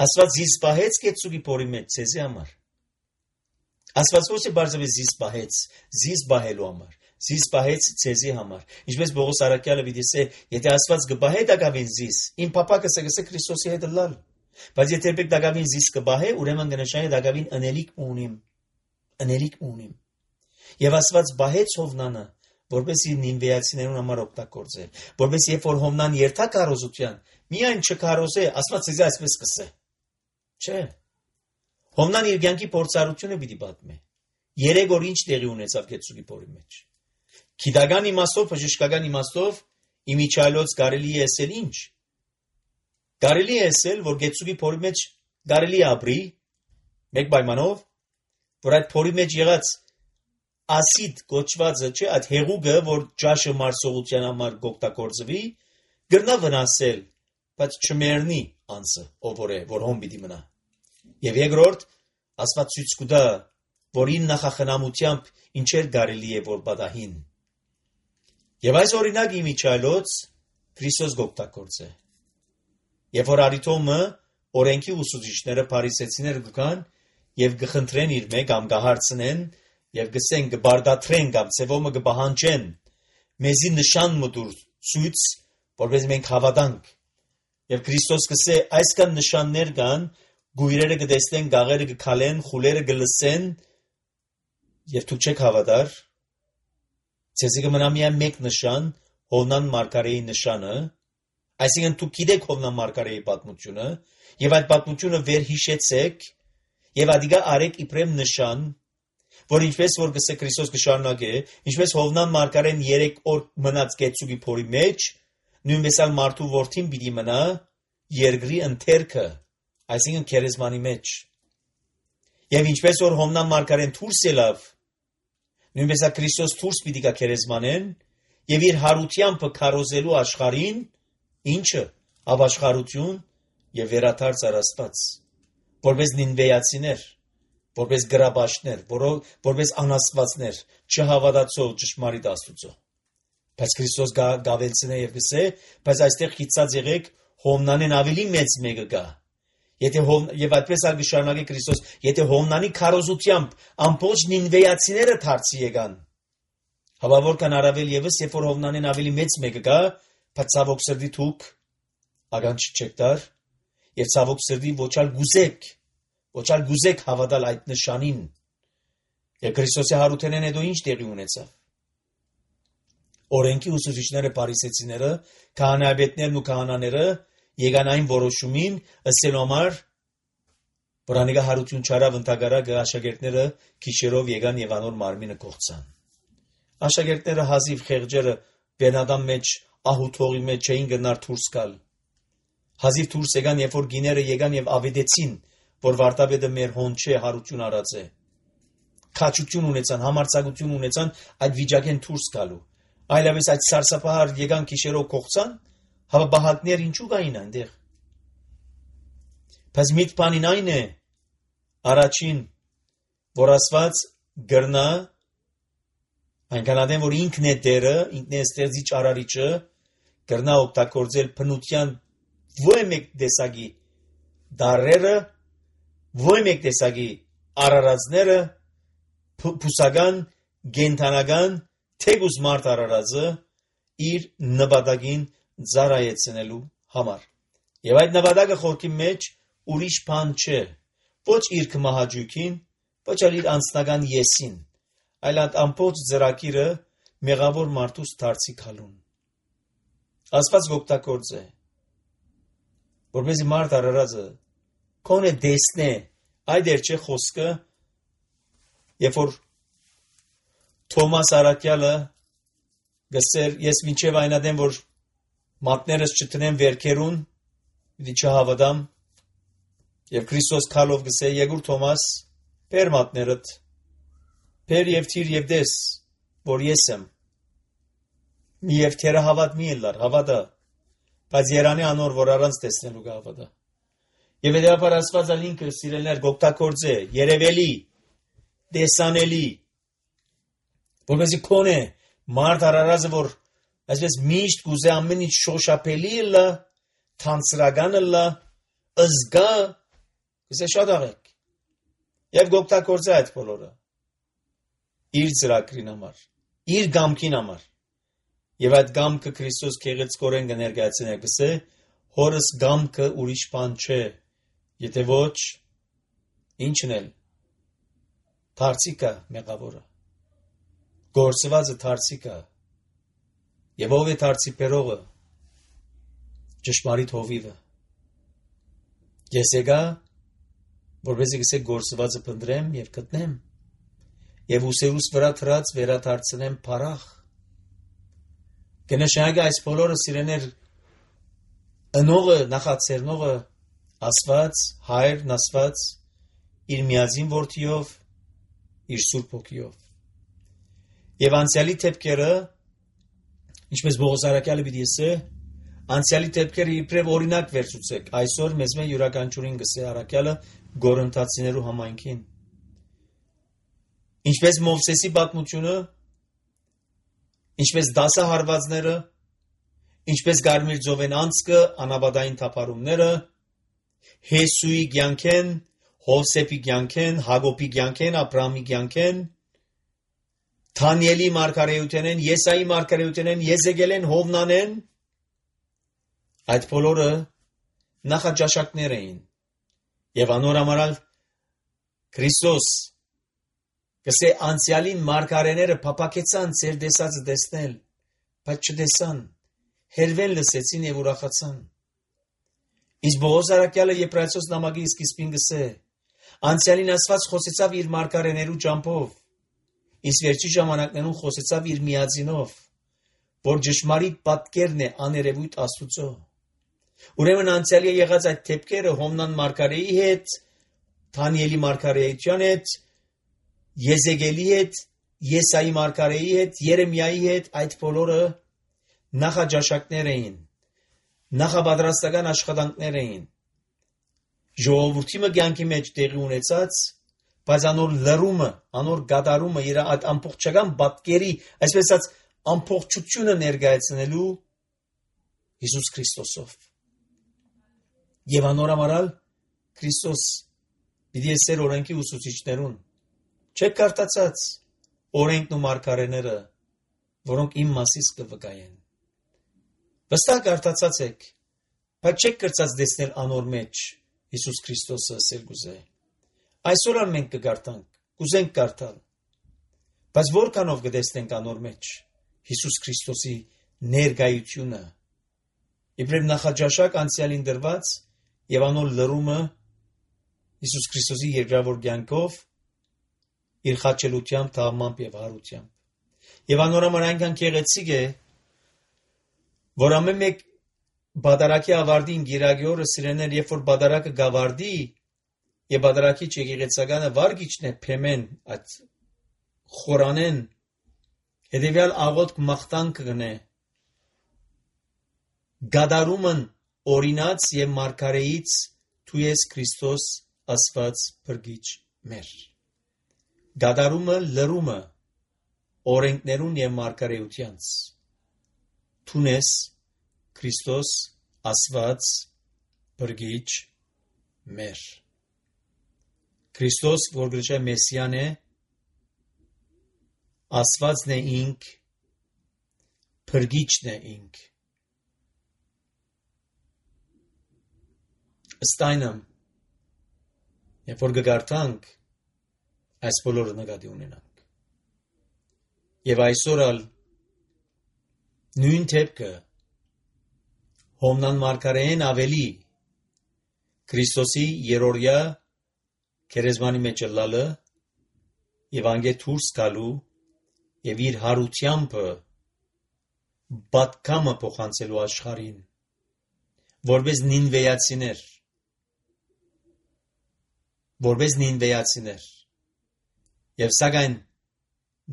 Աստված զիս պահեց գեցուգի փորի մեջ ցեզի համար։ Աստված ոչ թե բարձրապես զիս պահեց, զիս պահելու համար, զիս պահեց ցեզի համար։ Ինչպես Պողոս Արաքյալը պիտի ասե, եթե Աստված կպահե դակավին զիս, իմ փապակը կսե Քրիստոսի հետ լալ։ Բայց եթե երբեք դակավին զիս կպահե, ուրեմն կնշանակի դակավին ընելիք ունիմ։ Եվ Աստված պահեց Հովնանը, որպեսզի նինվեացիներուն համար օգտագործեր, որպեսզի երբ որ Հովնան երթա քարոզության, միայն չքարոզե, Աստված ցեզի այսպես կսե։ Չէ։ Հովնան իր կյանքի փորձառությունը պիտի պատմի։ 3 օր ինչ տեղի ունեցավ գեցուգի փորի մեջ։ Գիտական իմաստով, բժշկական իմաստով իմիջայլոց կարելի է ասել ինչ։ Կարելի է ասել, որ գեցուգի փորի մեջ կարելի է ապրի մեկ պայմանով, որ այդ փորի մեջ եղած ասիդ կոչվածը, չէ, այդ հեղուկը, որ ճաշը մարսողության համար կօգտագործվի, գրնա վնասել, բայց չմեռնի անձը, ով որ է, որ հոմ պիտի մնա։ Եվ երկրորդ, Աստված ցույց կտա, որ իր նախախնամությամբ ինչեր կարելի է որ պատահին։ Եվ այս օրինակի միջայլոց Քրիստոս գոպտակորձ է։ Եվ որ արիտոմը օրենքի ուսուցիչները փարիսեցիները գան եւ գխնդրեն իր մեկ կամ գահարցնեն եւ գսեն գբարդատրեն կամ ծևոմը գբահանջեն մեզի նշան մտուր ցույց որպես մենք հավատանք եւ Քրիստոս գսե այսքան նշաններ կան գույրերը կտեսնեն գաղերը կքալեն խուլերը կլսեն եւ դուք չեք հավատար ցեզի կմնա միայն մեկ նշան Հովնան Մարգարեի նշանը այսինքն դուք գիտեք Հովնան Մարգարեի պատմությունը եւ այդ պատմությունը վերհիշեցեք եւ ադիգա արեք իբրեմ նշան որ ինչպես որ գսե Քրիստոս կշարունակե ինչպես Հովնան Մարգարեն 3 օր մնաց գեցուգի փորի մեջ նույնպես ալ մարդու որդին պիտի մնա երկրի ընթերքը այսինքն քերեզմանի մեջ եւ ինչպես որ Հովնան Մարգարեն դուրս ելավ նույնպես ալ Քրիստոս դուրս պիտի գա քերեզմանեն եւ իր հարությամբ քարոզելու աշխարհին ինչը ապաշխարություն եւ վերաթարց արաստված որպես նինվեացիներ որպես գրաբաշներ, որպես անաստվածներ, չհավատացող ճշմարիտ Աստուծո։ Բայց Քրիստոս գավելցնե եւ գսե, բայց այստեղ հիծած եղեք Հովնանեն ավելի մեծ մեկը գա։ Եթե եւ այդպես ալ գշարունակի Քրիստոս, եթե Հովնանի քարոզությամբ ամբողջ նինվեացիները դարձի եկան։ Հավա որքան առավել եւս, երբ որ Հովնանեն ավելի մեծ մեկը գա, բայց ցավոք սրտի դուք ագանչ չեք դար եւ ցավոք սրտի ոչալ գուզեք հավատալ այդ նշանին։ Եվ Քրիստոսի հարութենեն հետո ինչ տեղի ունեցավ։ Օրենքի ուսուցիչները փարիսեցիները, քահանայապետներն ու քահանաները եկան այն որոշումին, ըսելու համար, որ անիկա հարություն չարավ ընդհակառակը աշակերտները քիշերով եկան եւ անոր մարմինը կողցան։ Աշակերտները հազիվ խեղճերը բենադամ մեջ ահութողի մեջ չէին գնար դուրս գալ։ Հազիվ դուրս եկան, երբ որ գիները եկան եւ ավետեցին որ վարտաբեդը մեր հոն չէ հարություն արած է քաչություն ունեցան համարձակություն ունեցան այդ վիճակեն դուրս գալու այլապես այդ սարսափահար եկան քիշերով կողցան հավա բահակներ ինչու կային այնտեղ բայց միտ բանին այն է առաջին որ Աստված գրնա այնքանադեն որ ինքն է դերը ինքն է ստեղծիչ արարիչը գրնա օգտագործել բնության ոչ մեկ տեսակի դարերը ոչ մեկ տեսակի արարածները փուսական գենթանական թեգուս մարդ արարածը իր նպատակին ծառայեցնելու համար եւ այդ նպատակը խորքի մեջ ուրիշ բան չէ ոչ իր կմահաճույքին ոչ էլ իր անձնական եսին այլ այդ ամբողջ ծրագիրը մեղավոր մարդուց դարձի քալուն Աստված օգտագործ է որպեսզի մարդ արարածը Կոնե դեսնե, այդ էր չէ խոսքը, երբ որ Թոմաս Արաքյալը գսեր, ես մինչև այնադեմ, որ մատներս չտնեմ վերքերուն, պիտի չհավատամ, եւ Քրիստոս քալով գսե, Եգուր Թոմաս, բեր մատներդ, բեր եւ թիր եւ դես, որ ես եմ, մի եւ թերը հավատ մի ելար, հավատա, բայց Երանի անոր, որ առանց տեսնելու կհավատա։ Եվ հետևաբար Աստված ինքը սիրելիներ գոպտակորձ է, երևելի, տեսանելի, որպեսզի կոնե մարդ արարածը, որ այսպես միշտ կուզե ամեն ինչ շոշափելի լա, թանցրական լա, ըզգա, կսե շատ աղեք, և գոպտակորձ է այդ բոլորը, իր ծրագրին համար, իր գամքին համար, և այդ գամքը Քրիստոս գեղեցկորեն կներկայացնե կսե, հորս գամքը ուրիշ բան չէ, Եթե ոչ, ինչն էլ, թարցիկա մեղավորը, գործվածը թարցիկա, և ով է թարցի պերողը, ճշմարիտ հովիվը, ես եկա, որպեսզի գսե գործվածը փնտրեմ և գտնեմ, և ուսերուս վրա թրած վերաթարցնեմ փարախ, կնշանակի այս բոլորը սիրեներ, ընողը, նախացերնողը, Աստված, Հայրն Աստված, իր միածին որդիով, իր Սուրբ Հոգիով։ Եվ անցյալի դեպքերը, ինչպես Բողոս Արաքյալը պիտի ասե, անցյալի դեպքերը իբրև օրինակ վերցուցեք։ Այսօր մեզ յուրաքանչյուրին գսե Արաքյալը Գորընթացիներու համայնքին։ Ինչպես Մովսեսի պատմությունը, ինչպես դասահարվածները, ինչպես Գարմիր ծովեն անցքը, անաբադային թափառումները, Հեսուի կյանքեն, Հովսեփի կյանքեն, Հակոբի կյանքեն, Աբրահամի կյանքեն, Դանիելի մարգարեութենեն, Եսայի մարգարեութենեն, Եզեկիելեն, Հովնանեն, այդ բոլորը նախաճաշակներ էին։ Եվ անորամարալ Քրիստոս կսե անցյալին մարգարեները փափակեցան ծեր դեսածը տեսնել, բայց չտեսան, հերվեն լսեցին եւ ուրախացան։ Իսկ Բոոզ արաքյալը Եբրայեցոս նամակի սկիզբին գսե, անցյալին Աստված խոսեցավ իր մարգարեներու ճամփով, իսկ վերջի ժամանակներուն խոսեցավ իր միածինով, որ ճշմարիտ պատկերն է աներևույթ Աստուծո։ Ուրեմն անցյալի եղած այդ թեփքերը Հովնան մարգարեի հետ, Դանիելի մարգարեության հետ, Եզեկիելի հետ, Եսայի մարգարեի հետ, Երեմիայի հետ, այդ բոլորը նախաճաշակներ էին, նախապատրաստական աշխատանքներ էին։ Ժողովրդի կյանքի մեջ տեղի ունեցած, բայց անոր լրումը, անոր գադարումը, իր այդ ամբողջական պատկերի, այսպես ասած, ամբողջությունը ներկայացնելու Հիսուս Քրիստոսով։ Եվ անորամարալ Քրիստոս պիտի ասեր օրենքի ուսուցիչներուն, չեք կարդացած օրենքն ու մարգարեները, որոնք իմ մասից կվկայեն։ Վստահ կարդացած եք, բայց չեք կրծած դեսնել անոր մեջ Հիսուս Քրիստոսը ասել գուզե։ Այսօր մենք կգարտանք, կուզենք կարդալ, բայց որքանով կտեսնենք անոր մեջ Հիսուս Քրիստոսի ներկայությունը, իբրև նախաճաշակ անցյալին դրված եւ անոր լրումը Հիսուս Քրիստոսի երկրավոր կյանքով իր խաչելությամբ, թաղմամբ եւ հարությամբ։ Եվ անորոման այնքան գեղեցիկ է, որ ամեն մեկ բադարակի ավարտին գիրագի օրը սիրեներ, երբ որ բադարակը գավարդի եւ բադարակի չեկեղեցականը վարգիչն է փեմեն այդ խորանեն հետեւյալ աղոտ մախտանք կգնե գադարումն օրինաց եւ մարգարեից դու ես Քրիստոս ասված փրկիչ մեր գադարումը լրումը օրենքներուն եւ մարգարեությանց դու ես Քրիստոս ասված փրկիչ մեր Քրիստոս որ գրչե Մեսիան է ասվածն է ինք փրկիչն է ինք ըստայնամ երբ որ գարտանք այս բոլորը նկատի ունենանք եւ այսօր ալ նույն թեփքը Հովնան մարգարեին ավելի Քրիստոսի երորյա քերեզմանի մեջ լալը եւ անգե դուրս գալու եւ իր հարությամբ բատկամը փոխանցելու աշխարհին որպես նինվեացիներ եւ սակայն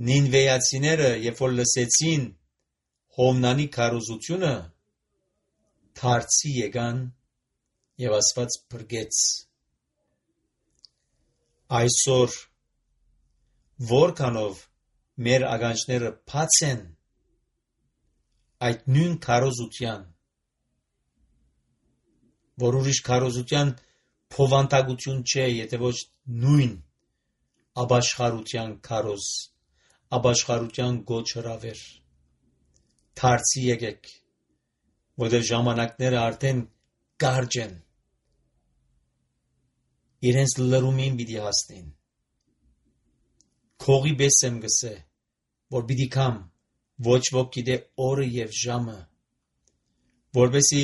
նինվեացիները երբ որ լսեցին Հովնանի քարոզությունը դարձի եկան եւ Աստված փրկեց այսօր որքանով մեր ագանչները բաց են այդ նույն քարոզության որ ուրիշ քարոզության փովանտագություն չէ եթե ոչ նույն աբաշխարության քարոզ աբաշխարության գոչ հրավեր դարձի եկեք որտեղ ժամանակները արդեն կարճ են իրենց լրումին պիտի հասնեն քողի պես եմ գսե որ պիտի կամ ոչ ոք գիտե օրը եւ ժամը որպեսի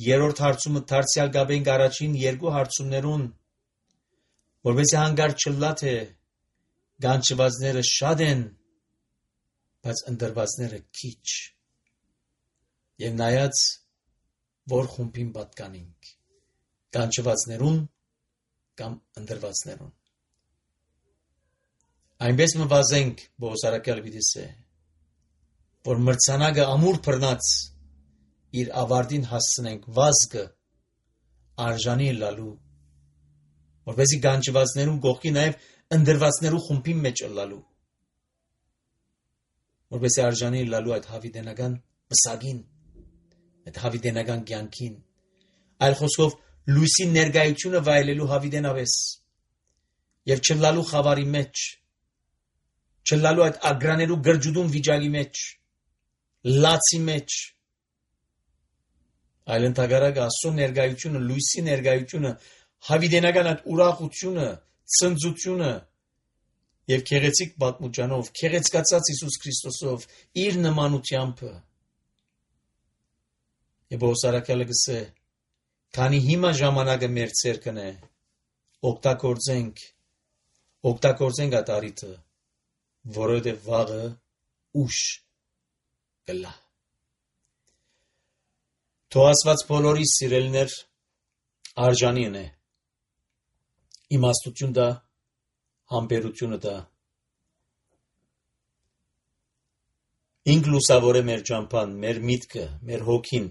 երրորդ հարցումը դարձյալ գաբենք առաջին երկու հարցումներուն որպեսի հանգարտ չլա թե գանչվածները շատ են բայց ընդրվածները քիչ եւ նայած որ խումբին պատկանենք գանչվածներուն կամ ընդրվածներուն այնպես մվազենք բոսարակյալ վիդիսե որ մրցանակը ամուր բռնած իր ավարտին հասցնենք վազգը արժանի լալու որպեսզի գանչվածներուն գողքի նաև ընդրվածներու խումբին մեջ լալու որպեսզի արժանի լալու այդ հավիտենական վսակին, այդ հավիտենական կյանքին, այլ խոսքով լույսի ներկայությունը վայելելու հավիտենավես եւ չլալու խավարի մեջ, չլալու այդ ագրաներու գրջուդուն վիճակի մեջ, լացի մեջ, այլ ընդհակառակը Աստծո ներկայությունը, լույսի ներկայությունը, հավիտենական այդ ուրախությունը, ցնծությունը եւ քեղեցիկ պատմուճանով, քեղեցկացած Հիսուս Քրիստոսով, իր նմանությամբ եւ ոսարակալը գսե, քանի հիմա ժամանակը մեր ցերկն է, օգտագործենք այդ արիթը, որովհետեւ վաղը ուշ կլա։ Թող Աստված բոլորի սիրելիներ արժանին է, իմաստություն դա, համբերությունը դա, ինք լուսավոր է մեր ճամփան, մեր միտքը, մեր հոգին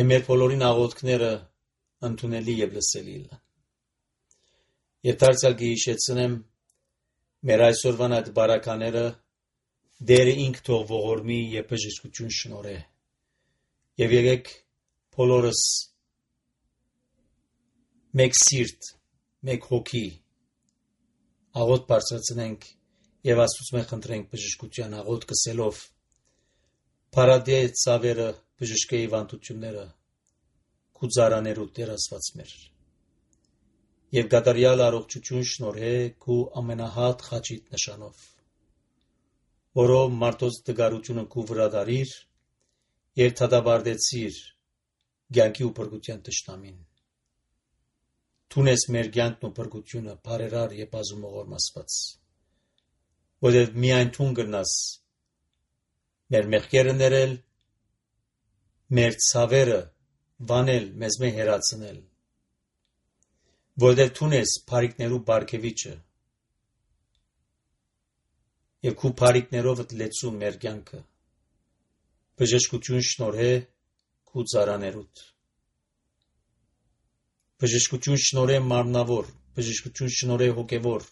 եւ մեր բոլորին աղոթքները ընդունելի եւ լսելի լան։ Եվ դարձյալ կհիշեցնեմ մեր այսօրվան այդ բարակաները Դերը ինք թող ողորմի եւ բժշկություն շնորհե։ Եվ եկեք բոլորս մեկ սիրտ, մեկ հոգի աղոթ բարձրացնենք եւ Աստծուց խնդրենք բժշկության աղոթ կսելով Փարադե ցավերը բժշկեի վանդությունները քուզարաներու Տեր Աստված մեր եւ գադարյալ առողջություն շնորհե քու ամենահատ խաչիտ նշանով որով մարդոց դգարությունը քու վրա դարիր եւ թադաբարդեցիր ցանկի ու բրգության տշնամին Թունես մեր ցանկն ու բրգությունը բարերար եւ ազումողորմ Աստված որով միայն թուն գնաս մեր մեղքերը ներել մեր ցավերը վանել մեզ մե հերացնել որով թունես բարիկներու բարգեվիչը Եվ քու բարիկներով լեցու մեր կյանքը բժշկություն շնորհե քու ծառաներուդ բժշկություն շնորհե մարմնավոր բժշկություն շնորհե հոգևոր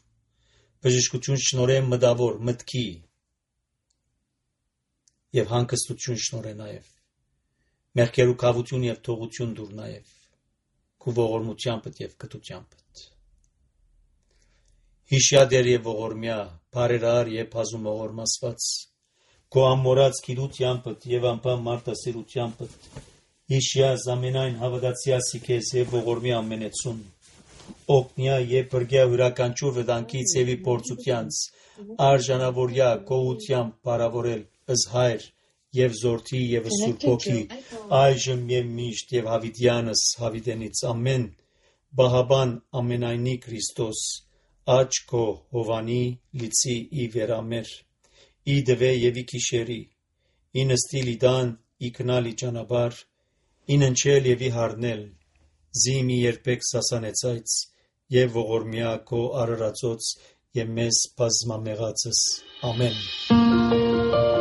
բժշկություն շնորհե մտավոր մտքի եւ հանգստություն շնորհե նաեւ մեղքերու կավություն եւ թողություն դուր նաեւ քու ողորմությամբ եւ կտությամբ Հիշյադեր եւ ողորմյա, բարերար եւ բազումողորմ Աստված, քո ամորած գիտությամբ եւ անպայման մարդասիրությամբ, հիշյա զամենայն հավատացյալի քեզ եւ ողորմի ամենեցուն, օգնյա եւ բրգյա յուրականչուր վտանգից եւ փորձությանց, արժանավորյա գոհությամբ բարավորել ըզ հայր եւ զորթի եւ սուրբ ոգի, այժմ եւ միշտ եւ հավիտյանս հավիտենից ամեն, բահաբան ամենայնի Քրիստոս Աչքո հովանի լիցի ի վերամեր, ի դվե եւ ի քիշերի, ի նստիլ իդան, ի կնալի ճանապար, ի ննչել եւ ի հարնել, զիմի երբեք սասանեցայց եւ ողորմյա քո արարածոց եւ մեզ բազմամեղածս ամեն